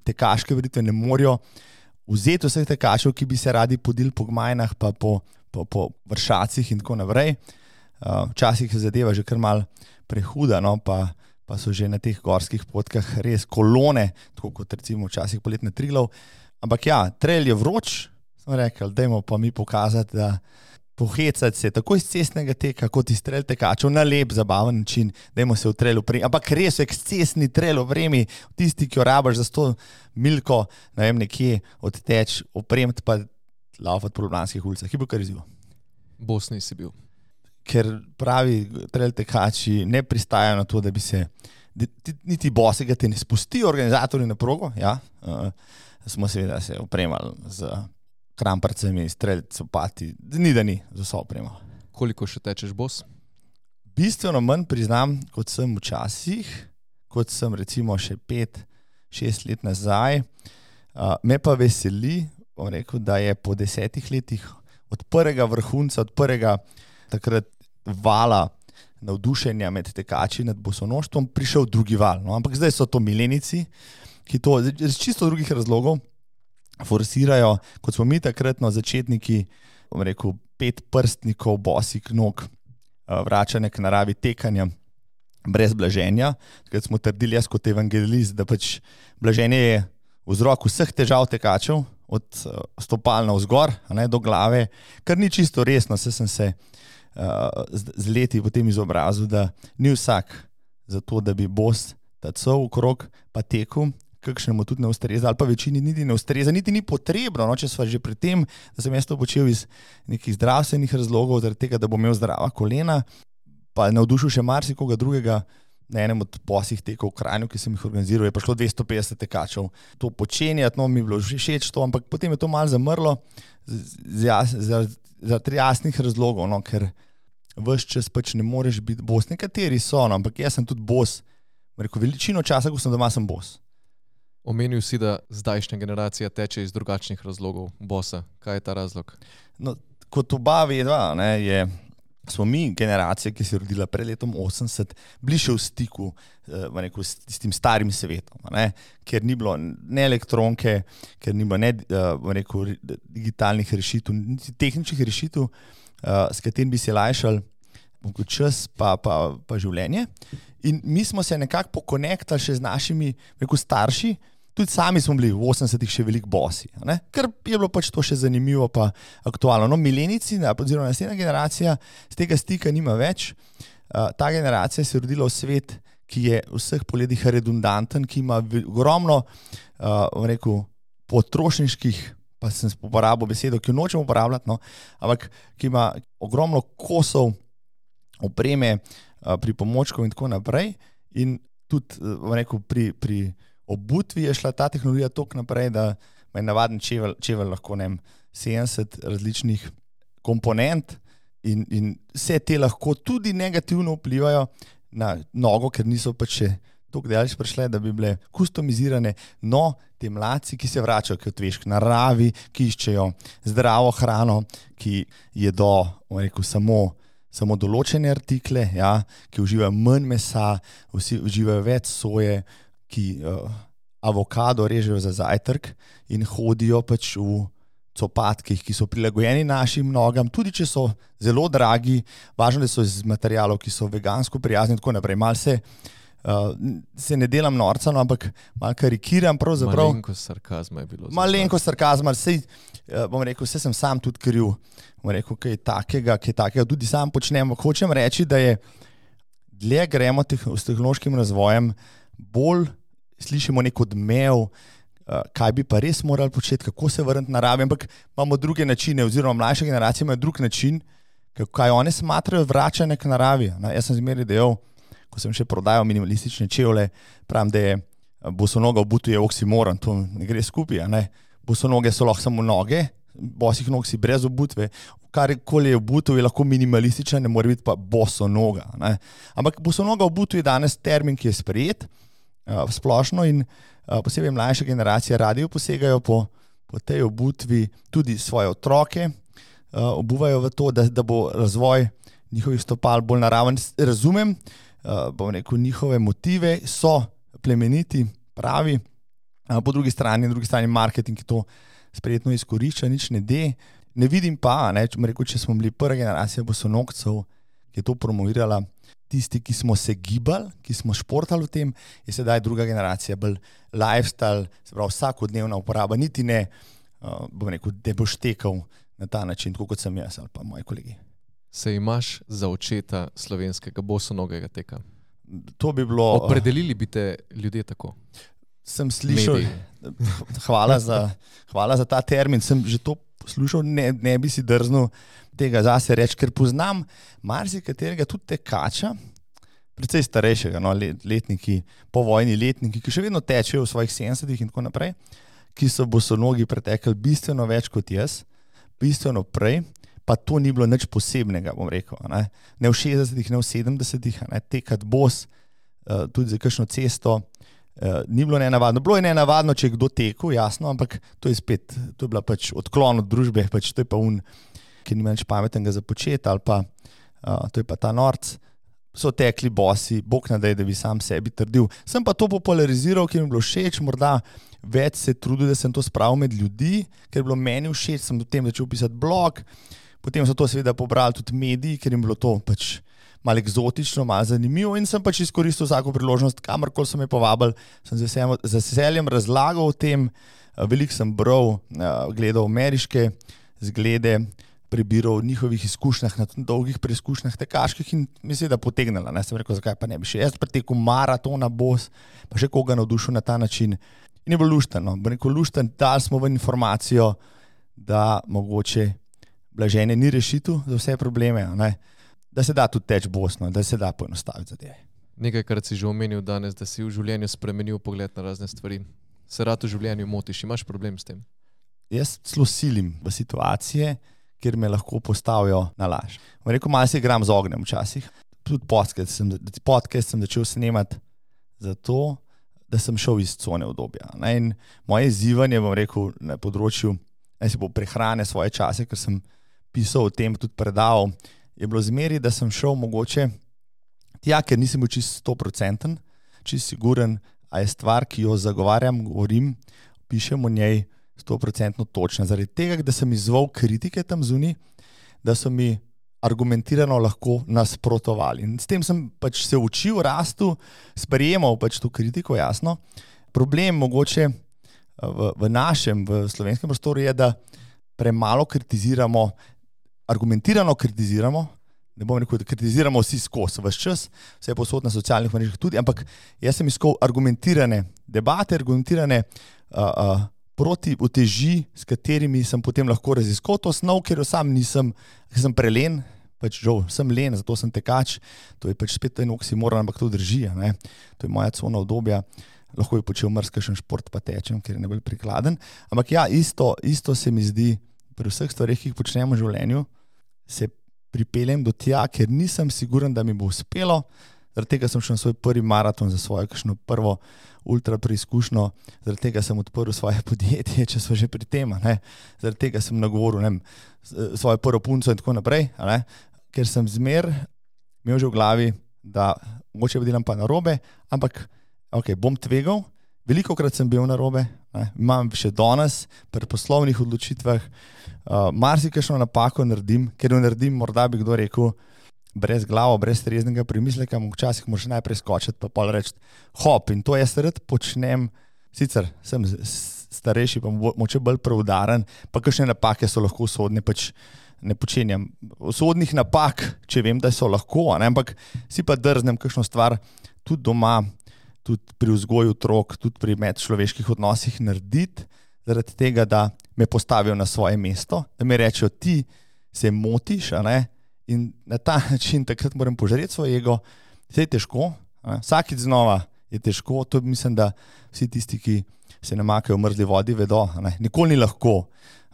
tekaške veritve ne morajo vzeti vseh tekačev, ki bi se radi podili po gmajnah, pa po vršacih in tako naprej. Včasih je zadeva že kar malo prehuda, no, pa so že na teh gorskih potkah res kolone, tako kot recimo včasih poletne Triglav. Ampak ja, trail je vroč, smo rekli, dajmo pa mi pokazati, da pohecati se tako iz cestnega teka, kot iz trail tekačev na lep, zabaven način, dajmo se v trail opremi. Ampak res je cestni trail opremi, tisti, ki jo rabaš za 100 milko, ne vem, nekje odteč, opremiti pa laufati po ljubljanskih ulicah. Je bil kar izziv. Bosni si bil. Ker pravi trail tekači ne pristajajo na to, da bi se niti bosega te ne spustijo organizatorji na progo, ja. Smo seveda se opremali z kramparcami, strelci, opati, ni da ni za vso opremo. Koliko še tečeš bos? Bistveno manj priznam, kot sem včasih, kot sem recimo še 5-6 let nazaj. Me pa veseli, bom rekel, da je po 10 letih od prvega vrhunca, od prvega takrat vala navdušenja med tekači nad bosonoštvom prišel drugi val. No? Ampak zdaj so to milenici, ki to iz čisto drugih razlogov forsirajo, kot smo mi takratno začetniki, bom rekel, 5 prstnikov bosih nog, vračanje k naravi tekanja. brez blaženja. Takrat smo trdili jaz kot evangelist, da pač blaženje je vzrok vseh težav tekačev, od stopal navzgor, do glave, kar ni čisto resno, saj sem se z leti potem izobrazil, da ni vsak za to, da bi bos tacal okrog pa tekel, kakšnemu tudi ne ustreza, ali pa večini niti ne ustreza, niti ni potrebno, če sva že pri tem, da sem jaz to počel iz nekih zdravstvenih razlogov, zaradi tega, da bom imel zdrava kolena, pa navdušil še marsikoga drugega. Na enem od poslih tekov v Kranju, ki sem jih organiziral, je prišlo 250 tekačev. To počenjati, mi je bilo že všeč to, ampak potem je to malo zamrlo zaradi jasnih razlogov, ker ves čas pač ne moreš biti bos. Nekateri so, ampak jaz sem tudi bos. Veličino časa, ko sem doma, sem bos. Omenil si, da zdajšnja generacija teče iz drugačnih razlogov bosa. Kaj je ta razlog? Kot oba vedva, smo mi generacija, ki se je rodila pred letom 80, bili še v stiku s tem starim svetom, ker ni bilo ne elektronke, ker ni bilo ne digitalnih rešitev, niti tehničnih rešitev, s katerim bi se lajšali čas pa življenje. In mi smo se nekako pokonektali še z našimi starši. Tudi sami smo bili v 80-ih še veliko bosi, ker je bilo pač to še zanimivo pa aktualno. Milenici, oziroma naslednja generacija, z tega stika nima več. Ta generacija se je rodila v svet, ki je v vseh pogledih redundanten, ki ima ogromno potrošniških, pa sem uporabil besedo, ki jo nočem uporabljati, ampak ki ima ogromno kosov opreme, pripomočkov in tako naprej. In tudi pri obutvi je šla ta tehnologija toliko naprej, da je navaden čevelj lahko 70 različnih komponent in vse te lahko tudi negativno vplivajo na nogo, ker niso pač še toliko daleč prišle, da bi bile customizirane. No, te mladci, ki se vračajo k naravi, ki iščejo zdravo hrano, ki jedo samo določene artikle, ki uživajo manj mesa, uživajo več soje, ki avokado režejo za zajtrk in hodijo pač v copatkih, ki so prilagojeni našim nogam, tudi če so zelo dragi, važno, da so iz materialov, ki so vegansko prijazni in tako naprej. Mal se ne delam norca, ampak malo karikiram pravzaprav. Malenkost sarkazma je bilo. Malenkost sarkazma, saj sem sam tudi kriv, kaj takega, tudi sam počnem. Hočem reči, da je dlje gremo s tehnološkim razvojem, bolj slišimo nek odmev, kaj bi pa res morali početi, kako se vrniti naravi, ampak imamo druge načine, oziroma mlajša generacija ima drug način, kaj oni smatrajo vračanje k naravi. Jaz sem zmeraj dejal, ko sem še prodajal minimalistične čevlje, pravim, da je bosonoga obutev je oksimoron, to ne gre skupaj. Bosonoge so lahko samo noge, bosih nog si brez obutve, karkoli je obutev je lahko minimalistična, ne more biti pa bosonoga. Ampak bosonoga obutev je danes termin, ki je sprejet splošno in posebej mlajša generacija radi posegajo po tej obutvi, tudi svoje otroke obuvajo v to, da bo razvoj njihovih stopal bolj naraven. Razumem, njihove motive so plemeniti, pravi, po drugi strani marketing, ki to sprejetno izkorišča, nič ne de. Ne vidim pa, če smo bili prva generacija bosonogcev, ki je to promovirala, tisti, ki smo se gibali, ki smo športali v tem, je sedaj druga generacija, bolj lifestyle, se pravi vsakodnevna uporaba, niti ne, da boš tekal na ta način, tako kot sem jaz ali pa moji kolegi. Se imaš za očeta slovenskega bosonogega teka? To bi bilo... Opredelili bi te ljudje tako? Sem slišal, hvala za ta termin, sem že to poslušal, ne bi si drznil tega zase reči, ker poznam marsikaterega tudi tekača, precej starejšega, letniki, povojni letniki, ki še vedno tečejo v svojih 70-ih in tako naprej, ki so bosonogi pretekli bistveno več kot jaz, bistveno prej, pa to ni bilo nič posebnega, bom rekel. Ne v 60-ih, ne v 70-ih, tekat bos, tudi za kakšno cesto, ni bilo nenavadno. Bilo je nenavadno, če je kdo tekel, jasno, ampak to je bila pač odklon od družbe, pač to je pa ki nima nič pametnega za početi, ali pa to je pa ta norc. So tekli bosi, bog ne daj, da bi sam sebi trdil. Sem pa to populariziral, ker mi je bilo všeč, morda več se trudil, da sem to spravil med ljudi, ker je bilo meni všeč, sem do tem začel pisati blog, potem so to seveda pobrali tudi mediji, ker jim bilo to pač malo eksotično, malo zanimivo in sem pač izkoristil vsako priložnost, kamorkoli so me povabili, sem z veseljem razlagal o tem, veliko sem bral, gledal ameriške zglede, prebiral o njihovih izkušnjah na dolgih preizkušnjah tekaških in mislim, da potegnila. Sem rekel, zakaj pa ne bi še jaz pretekel maratona Bos, pa še koga navdušil na ta način. In je bilo luštno, lušten, dali smo ven informacijo, da mogoče blaženje ni rešitev za vse probleme, da se da tudi teči Bos, da se da poenostaviti zadeve. Nekajkrat si že omenil danes, da si v življenju spremenil pogled na razne stvari. Se rad v življenju motiš, imaš problem s tem? Jaz celo silim v situacije, kjer me lahko postavijo na laž. Rekel, malo se igram z ognjem včasih. Tudi podcast sem začel snemati zato, da sem šel iz cone udobja. In moje izzivanje, na področju prehrane svoje čase, ker sem pisal o tem, tudi predaval, je bilo zmeri, da sem šel mogoče tja, ker nisem bil čisto 100%, čisto siguren, a je stvar, ki jo zagovarjam, govorim, pišem o njej 100% točno. Zaradi tega, da sem izzval kritike tam zunaj, da so mi argumentirano lahko nasprotovali. In s tem sem pač se učil, rastel, sprejemal pač to kritiko, jasno. Problem mogoče v našem, v slovenskem prostoru je, da premalo kritiziramo, argumentirano kritiziramo, ne bom rekel, da kritiziramo vsi skozi, ves čas, vse je posod na socialnih mrežah tudi, ampak jaz sem iskal argumentirane debate, argumentirane proti uteži, s katerimi sem potem lahko raziskal to snov, ker jo sam nisem, ker sem prelen, pač žal, sem len, zato sem tekač, to je pač spet en oksimoron, ampak to drži, to je moja cona udobja, lahko bi počel marsikšen šport pa tečem, ker je najbolj prikladen, ampak ja, isto se mi zdi, pri vseh stvareh, ki jih počnemo v življenju, se pripeljem do tja, ker nisem siguren, da mi bo uspelo, zaradi tega sem šel na svoj prvi maraton za svojo kakšno prvo ultra preizkušnjo, zaradi tega sem odprl svoje podjetje, če smo že pri tem, zaradi tega sem nagovoril svojo prvo punco in tako naprej, ker sem zmer imel že v glavi, da mogoče delam pa narobe, ampak bom tvegal, velikokrat sem bil narobe, imam še danes pri poslovnih odločitvah, marsikajšno napako naredim, ker jo naredim, morda bi kdo rekel, brez glavo, brez treznega premisleka, včasih moraš najprej skočiti, pa pol reči hop, in to jaz rad počnem, sicer sem starejši, pa moče bolj preudaren, pa kakšne napake so lahko usodne, pač ne počenjam usodnih napak, če vem, da so lahko, ampak si pa drznem kakšno stvar tudi doma, tudi pri vzgoju otrok, tudi pri medčloveških odnosih narediti, zaradi tega, da me postavijo na svoje mesto, da mi rečejo, ti se motiš, in na ta način takrat moram požreti svoj ego, vse je težko, vsakič znova je težko, to mislim, da vsi tisti, ki se namakajo v mrzli vodi, vedo, nikoli ni lahko,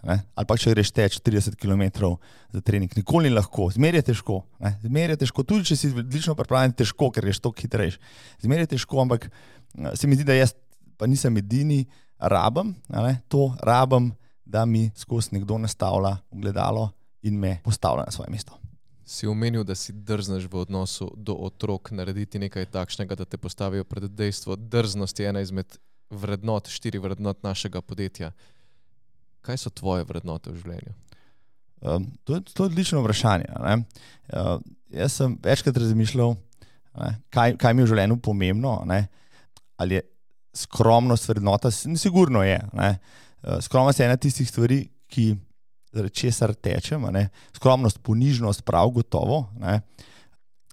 ali pa če greš teč 30 km za trening, nikoli ni lahko, zmeraj je težko, tudi če si odlično pripravljen, težko, ker greš toliko hitrejš, zmeraj je težko, ampak se mi zdi, da jaz pa nisem edini, rabim, da mi skozi nekdo nastavlja ogledalo in me postavlja na svoje mesto. Si omenil, da si drzneš v odnosu do otrok narediti nekaj takšnega, da te postavijo pred dejstvo. Drznost je ena izmed vrednot, 4 vrednot našega podjetja. Kaj so tvoje vrednote v življenju? To je odlično vprašanje. Jaz sem večkrat razmišljal, kaj mi je v življenju pomembno, ali je skromnost vrednota, sigurno je. Skromnost je ena tistih stvari, ki zaradi česar tečem, skromnost, ponižnost, prav gotovo.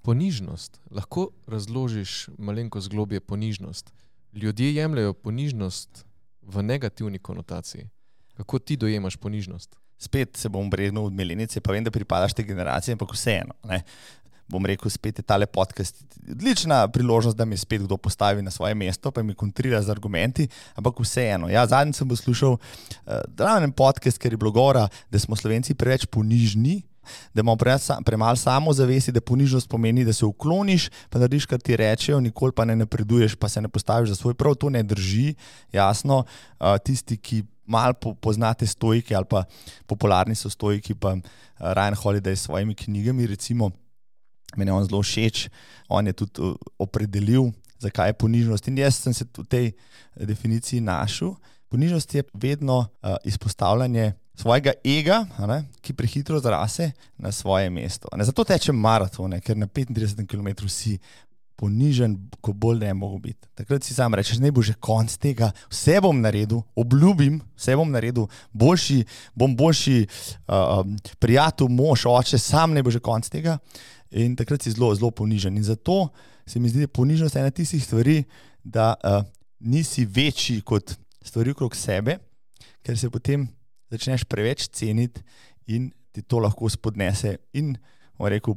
Ponižnost. Lahko razložiš malenkost globje ponižnost. Ljudje jemljajo ponižnost v negativni konotaciji. Kako ti dojemaš ponižnost? Spet se bom bregnil od milenice, pa vem, da pripadaš te generacije, ampak vseeno. Bom rekel, spet je tale podcast odlična priložnost, da mi spet kdo postavi na svoje mesto, pa mi kontrira z argumenti, ampak vseeno. Ja, zadnjič sem poslušal en podcast, ker je bilo govora, da smo Slovenci preveč ponižni, da imamo premalo samozavesti, da ponižnost pomeni, da se ukloniš, pa narediš, kar ti rečejo, nikoli pa ne napreduješ, pa se ne postaviš za svoj prav. To ne drži, jasno. Tisti, ki malo poznate stoiki ali pa popularni so stoiki, pa Ryan Holiday s svojimi knjigami, recimo, meni je on zelo všeč, on je tudi opredelil, zakaj je ponižnost. In jaz sem se v tej definiciji našel. Ponižnost je vedno izpostavljanje svojega ega, ki prehitro zrase na svoje mesto. Zato tečem maratone, ker na 35 km si ponižen, ko bolj ne mogo biti. Takrat si sam rečeš, ne bo že konc tega, vse bom naredil, obljubim, vse bom naredil, bom boljši prijatelj, mož, oče, sam ne bo že konc tega. In takrat si zelo, zelo ponižen. In zato se mi zdi, da ponižnost je ena tistih stvari, da nisi večji kot stvari okrog sebe, ker se potem začneš preveč ceniti in ti to lahko spodnese in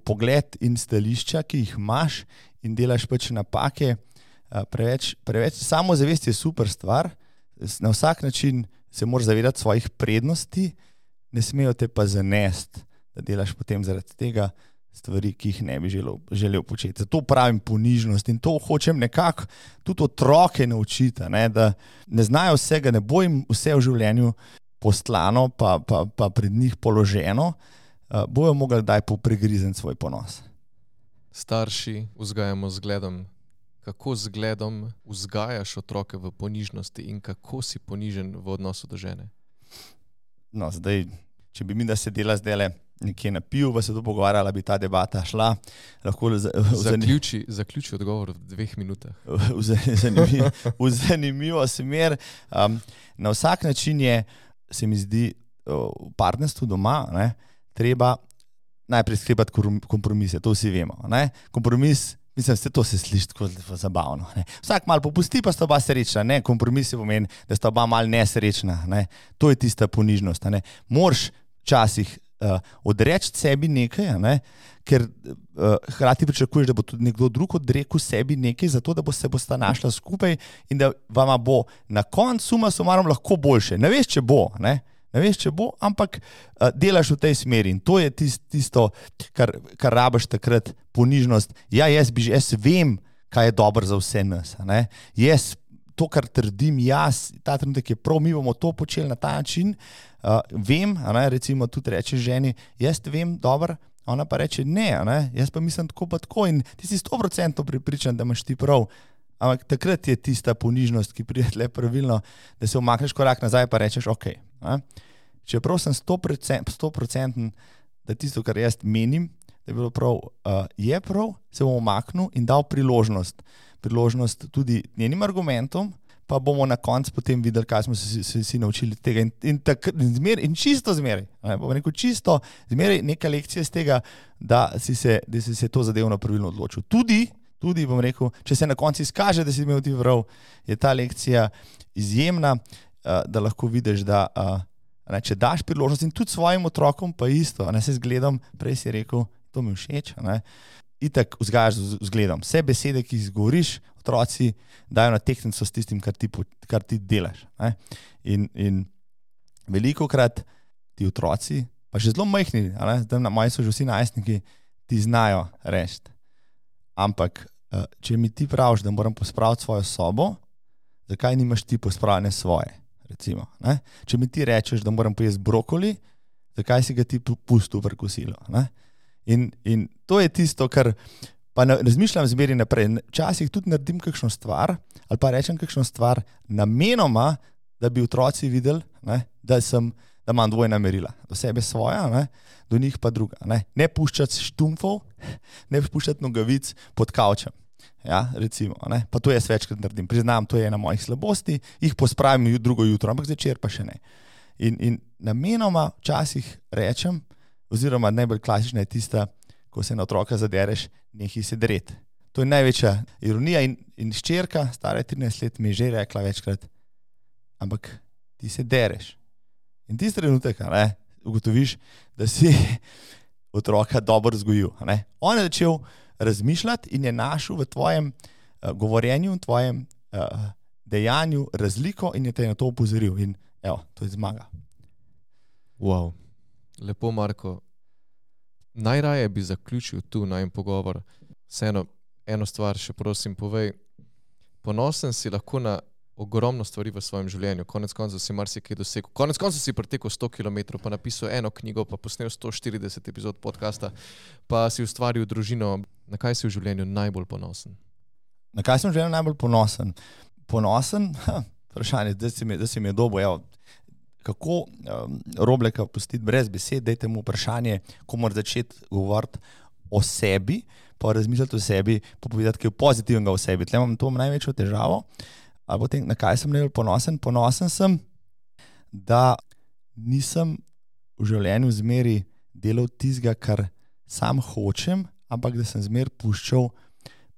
pogled in stališča, ki jih imaš in delaš pač napake. Preveč samozavest je super stvar, na vsak način se moraš zavedati svojih prednosti, ne smejo te pa zanesti, da delaš potem zaradi tega stvari, ki jih ne bi želel početi. Zato pravim ponižnost in to hočem nekako tudi otroke naučiti, da ne znajo vsega, ne bo jim vse v življenju postlano pa pred njih položeno, bojo mogli daj popregrizen svoj ponos. Starši vzgajamo zgledom. Kako zgledom vzgajaš otroke v ponižnosti in kako si ponižen v odnosu do žene? No, zdaj, če bi mi da sedela zdajle nekje na pivu, pa se to pogovarjala, bi ta debata šla. Lahko Zaključi odgovor v 2 minutah. V zanimivo smer. Na vsak način je, se mi zdi, v partnerstvu doma, treba najprej sklepati kompromise, to vsi vemo. Kompromis, mislim, to se sliši tako zabavno. Vsak malo popusti, pa sta oba srečna. Kompromis pomeni, da sta oba malo nesrečna. To je tista ponižnost. Moraš včasih odreči sebi nekaj, ker hkrati pričakuješ, da bo tudi nekdo drug odrekel sebi nekaj, zato da se bosta našla skupaj in da vama bo na koncu suma sumarum lahko boljše. Ne veš, če bo, ampak delaš v tej smeri in to je tisto, kar rabiš takrat, ponižnost. Jaz vem, kaj je dobro za vse nas. Jaz, to, kar trdim jaz, ta trenutek je prav, mi bomo to počeli na ta način, vem, recimo tudi reče ženi, jaz vem dobro, ona pa reče ne, jaz pa mislim tako pa tako in ti si 100% prepričan, da imaš ti prav. Ampak takrat je tista ponižnost, ki pride tle pravilno, da se umakneš korak nazaj pa rečeš, ok. Čeprav sem 100%, da tisto, kar jaz menim, da je bilo prav, je prav, se bom umaknil in dal priložnost tudi njenim argumentom, pa bomo na koncu potem videli, kaj smo se naučili tega. In čisto zmeraj, bom rekel čisto zmeraj neka lekcija z tega, da si se to zadevno pravilno odločil. Tudi bom rekel, če se na koncu izkaže, da si imel ti prav, je ta lekcija izjemna, da lahko vidiš, da če daš priložnost in tudi svojim otrokom pa isto, se zgledam, prej si rekel, to mi všeč, itak vzgajaš z vzgledom. Vse besede, ki jih izgovoriš, otroci dajo na tehtnico s tistim, kar ti delaš. In velikokrat ti otroci, pa že zelo majhni, moji so že vsi najstniki, ti znajo reči. Ampak, če mi ti praviš, da moram pospraviti svojo sobo, zakaj nimaš ti pospravljene svoje, recimo. Če mi ti rečeš, da moram pojesti brokoli, zakaj si ga ti pustil v kosilu. In to je tisto, kar pa razmišljam zmeri naprej. Včasih tudi naredim kakšno stvar ali pa rečem kakšno stvar namenoma, da bi otroci videli, da imam dvojna merila. Do sebe svoja, do njih pa druga. Ne puščati štumfov, ne puščati nogavic pod kavčem. Recimo, pa to jaz večkrat naredim. Priznam, to je ena mojih slabosti, jih pospravim drugo jutro, ampak zvečer pa še ne. In namenoma včasih rečem, oziroma najbolj klasična je tista, ko se na otroka zadereš, nehaj se dreti. To je največja ironija in hčerka, stara 13 let, mi je že rekla večkrat, ampak ti se dereš. In tisti trenutek, ugotoviš, da si otroka dobro vzgojil. On je začel razmišljati in je našel v tvojem govorjenju, v tvojem dejanju razliko in je te na to opozoril. In evo, to je zmaga. Wow, lepo, Marko. Najraje bi zaključil tu najin pogovor. Vseeno, eno stvar še prosim povej. Ponosen si lahko na ogromno stvari v svojem življenju. Konec koncev si marsikaj dosegel. Konec koncev si pretekel 100 km, pa napisal eno knjigo, pa posnel 140 epizod podcasta, pa si ustvaril družino. Na kaj si v življenju najbolj ponosen? Na kaj sem v življenju najbolj ponosen? Ponosen? Vprašanje, da si mi je dobil. kako Robleka pustiti brez besed, dajte mu vprašanje, ko mora začeti govoriti o sebi, pa razmisliti o sebi, pa povedati kaj pozitivnega o sebi. Tle imam to največjo težavo. Ali potem, na kaj sem najbolj ponosen? Ponosen sem, da nisem v življenju zmeri delal tistega, kar sam hočem, ampak da sem zmer puščal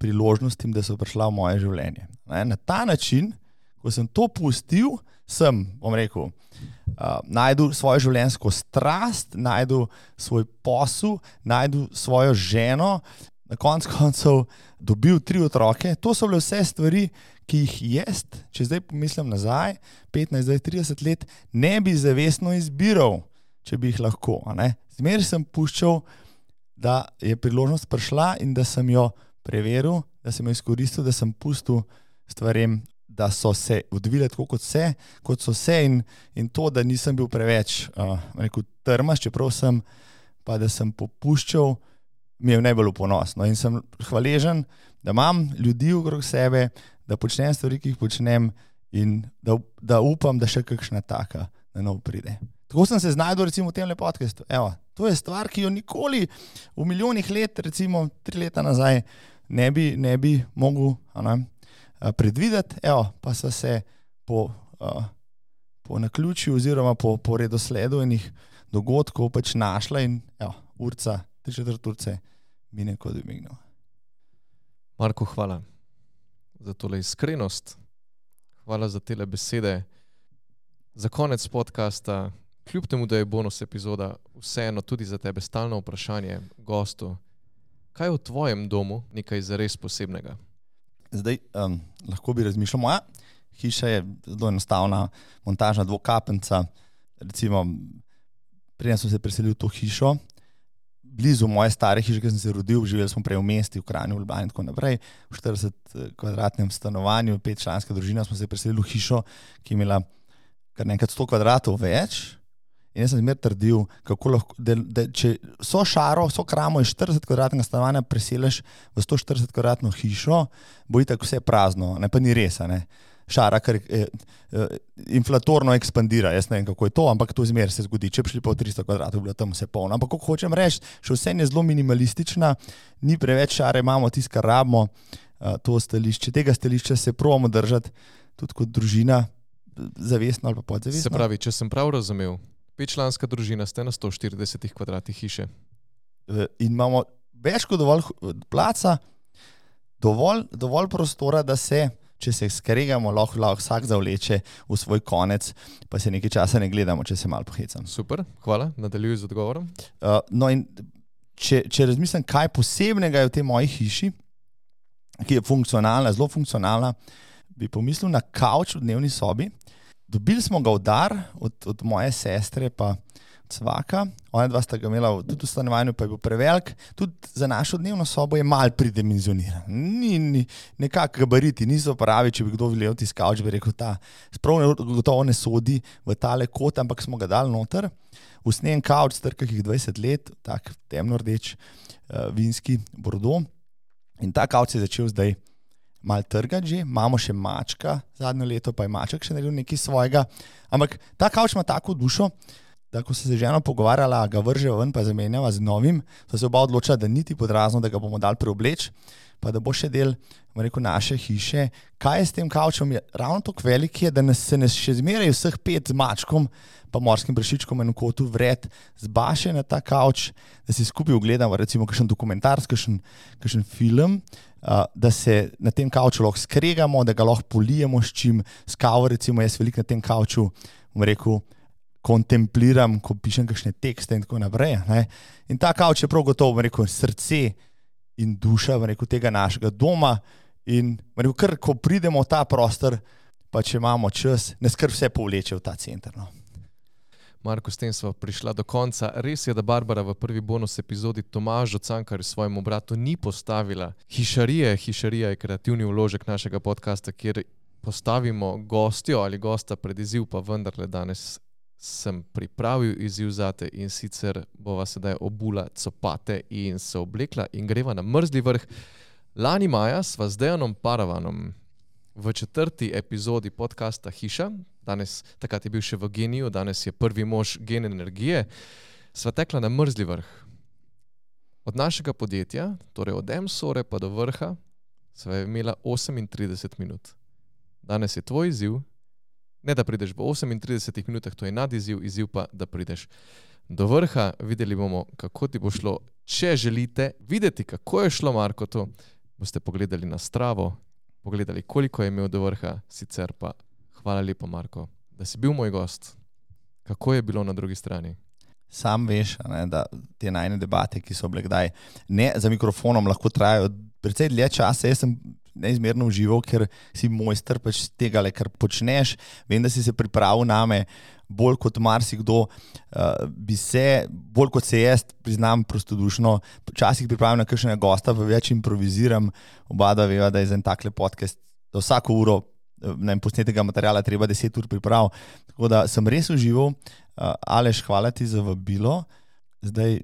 priložnostim, da so prišla v moje življenje. Na ta način, ko sem to pustil, sem, bom rekel, najdu svojo življenjsko strast, najdu svoj posel, najdu svojo ženo, na koncu dobil 3 otroke. To so bile vse stvari, ki jih jaz, če zdaj pomislim nazaj, 15-30 let, ne bi zavestno izbiral, če bi jih lahko. Zmer sem puščal, da je priložnost prišla in da sem jo preveril, da sem jo izkoristil, da sem pustil stvarem, da so se odvile tako, kot so se in to, da nisem bil preveč trmast, čeprav sem, pa da sem popuščal, mi je najbolj ponosno. In sem hvaležen, da imam ljudi okrog sebe, da počnem stvari, ki jih počnem in da upam, da še kakšna taka na nov pride. Tako sem se znajdel recimo v tem podcastu. Evo, to je stvar, ki jo nikoli v milijonih let, recimo 3 leta nazaj, ne bi mogel predvideti. Evo, pa so se po naključju oziroma po redosledu enih dogodkov pač našla in evo, urca, 3/4 urce mine kot bi mignil. Marko, hvala za tole iskrenost. Hvala za tele besede. Za konec podcasta, kljub temu, da je bonus epizoda, vseeno tudi za tebe stalno vprašanje gostu. Kaj je v tvojem domu nekaj zares posebnega? Zdaj, lahko bi razmišljal, moja hiša je zelo enostavna, montažna dvokapenca. Recimo, preden sem se preselil v to hišo, blizu moje stare hiše, ki sem se rodil, živeli smo prej v mesti, v Kranju, v Ljubljani in tako naprej. V 40-kvadratnem stanovanju, 5-članska družina, smo se preselili v hišo, ki je imela kar nekaj 100 kvadratov več. In jaz sem zmer trdil, kako lahko, da če so kramo iz 40-kvadratnega stanovanja preseliš v 140-kvadratno hišo, bo itak vse prazno, pa ni res. Šara, ker inflatorno ekspandira, jaz ne vem, kako je to, ampak to zmer se zgodi. Če bi šli pa v 300 kvadratov, bi bilo tam vse polno. Ampak kako hočem reči, še vse je zelo minimalistična, ni preveč šare, imamo tisto, kar rabimo, to stališče. Tega stališča se probamo držati tudi kot družina, zavestno ali pa podzavestno. Se pravi, če sem prav razumel, 5-članska družina ste na 140 kvadratih hiše. In imamo več kot dovolj placa, dovolj prostora, da se, če se skregamo, lahko vsak zavleče v svoj konec, pa se nekaj časa ne gledamo, če se malo pohecam. Super, hvala, nadaljuj z odgovorom. No in če razmislim, kaj posebnega je v tej moji hiši, ki je funkcionalna, zelo funkcionalna, bi pomislil na kavč v dnevni sobi. Dobili smo ga v dar od moje sestre pa svaka. Ona dva sta ga imela tudi v stanovanju, pa je bil prevelik. Tudi za našo dnevno sobo je malo pridimenzioniran. Ni nekako gabariti, niso pravi, če bi kdo videl tisti kavč, bi rekel, ta sprav gotovo ne sodi v tale kot, ampak smo ga dali noter. Usnjen kavč, star kakih 20 let, tak temno rdeč, vinski bordeaux. In ta kavč se je začel zdaj malo trgati že, imamo še mačka, zadnjo leto pa je maček še naredil nekaj svojega, ampak ta kavč ima tako dušo, da ko se z ženo pogovarjala, ga vrže ven pa zamenjava z novim, so se oba odločila, da niti pod razno, da ga bomo dali preobleč, pa da bo še del, rekel, naše hiše. Kaj je s tem kavčem? Je ravno tako velik je, da se nas še zmeraj vseh 5 z mačkom pa morskim prašičkom in kotu vred zbaše na ta kavč, da si skupaj ogledamo recimo kakšen dokumentarc, kakšen film, da se na tem kavču lahko skregamo, da ga lahko polijemo s čim, s kavo recimo, jaz veliko na tem kavču, bom rekel, kontempliram, ko pišem kakšne tekste in tako naprej. Ne? In ta kavč je prav gotovo, bom rekel, srce in duša, bom rekel, tega našega doma in bom rekel, kar ko pridemo v ta prostor, pa če imamo čas, ne skrb vse povleče v ta center. No? Marko, s tem smo prišla do konca. Res je, da Barbara v prvi bonus epizodi Tomažu Cankarju svojemu bratu ni postavila hišarije. Hišarija je kreativni vložek našega podcasta, kjer postavimo gostjo ali gosta pred izziv, pa vendarle danes sem pripravil izziv zate in sicer bova sedaj obula copate in se oblekla in greva na mrzli vrh. Lani maja sva z Dejanom Paravanom V 4. epizodi podcasta Hiša, takrat je bil še v Geniju, danes je prvi mož Gen energije, sva tekla na mrzli vrh. Od našega podjetja, torej od Emsore pa do vrha, sva imela 38 minut. Danes je tvoj izziv, ne da prideš v 38 minutah, to je nadizziv, izziv pa, da prideš do vrha. Videli bomo, kako ti bo šlo. Če želite videti, kako je šlo Markotu, boste pogledali na Stravo, pogledali, koliko je imel do vrha, sicer pa hvala lepo, Marko, da si bil moj gost. Kako je bilo na drugi strani? Sam veš, ne, da te najne debate, ki so bile kdaj ne za mikrofonom, lahko trajajo precej dlje časa. Jaz sem neizmerno užival, ker si mojster pač tega, kar počneš. Vem, da si se pripravil name bolj kot marsikdo, bolj kot se jaz, priznam prostodušno, včasih pripravim na kakšnega gosta, pa več improviziram. Oba dva veva, da je za en takle podcast za vsako uro posnetega materiala treba 10 ur priprav. Tako da sem res užival. Aleš, hvala ti za vabilo. Zdaj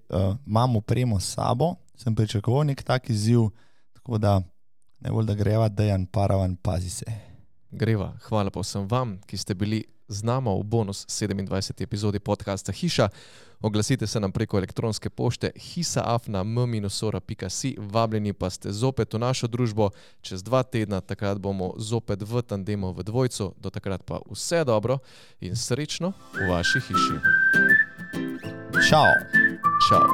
imam opremo s sabo, sem pričakoval nek tak izziv, tako da najbolj da greva, Dejan Paravan, pazi se. Greva, hvala pa vsem vam, ki ste bili z nama v bonus 27. epizodi podcasta Hiša. Oglasite se nam preko elektronske pošte hisa@m-ora.si. Vabljeni pa ste zopet v našo družbo čez 2 tedna, takrat bomo zopet v tandemu v dvojcu. Do takrat pa vse dobro in srečno v vaši hiši. Čau. Čau.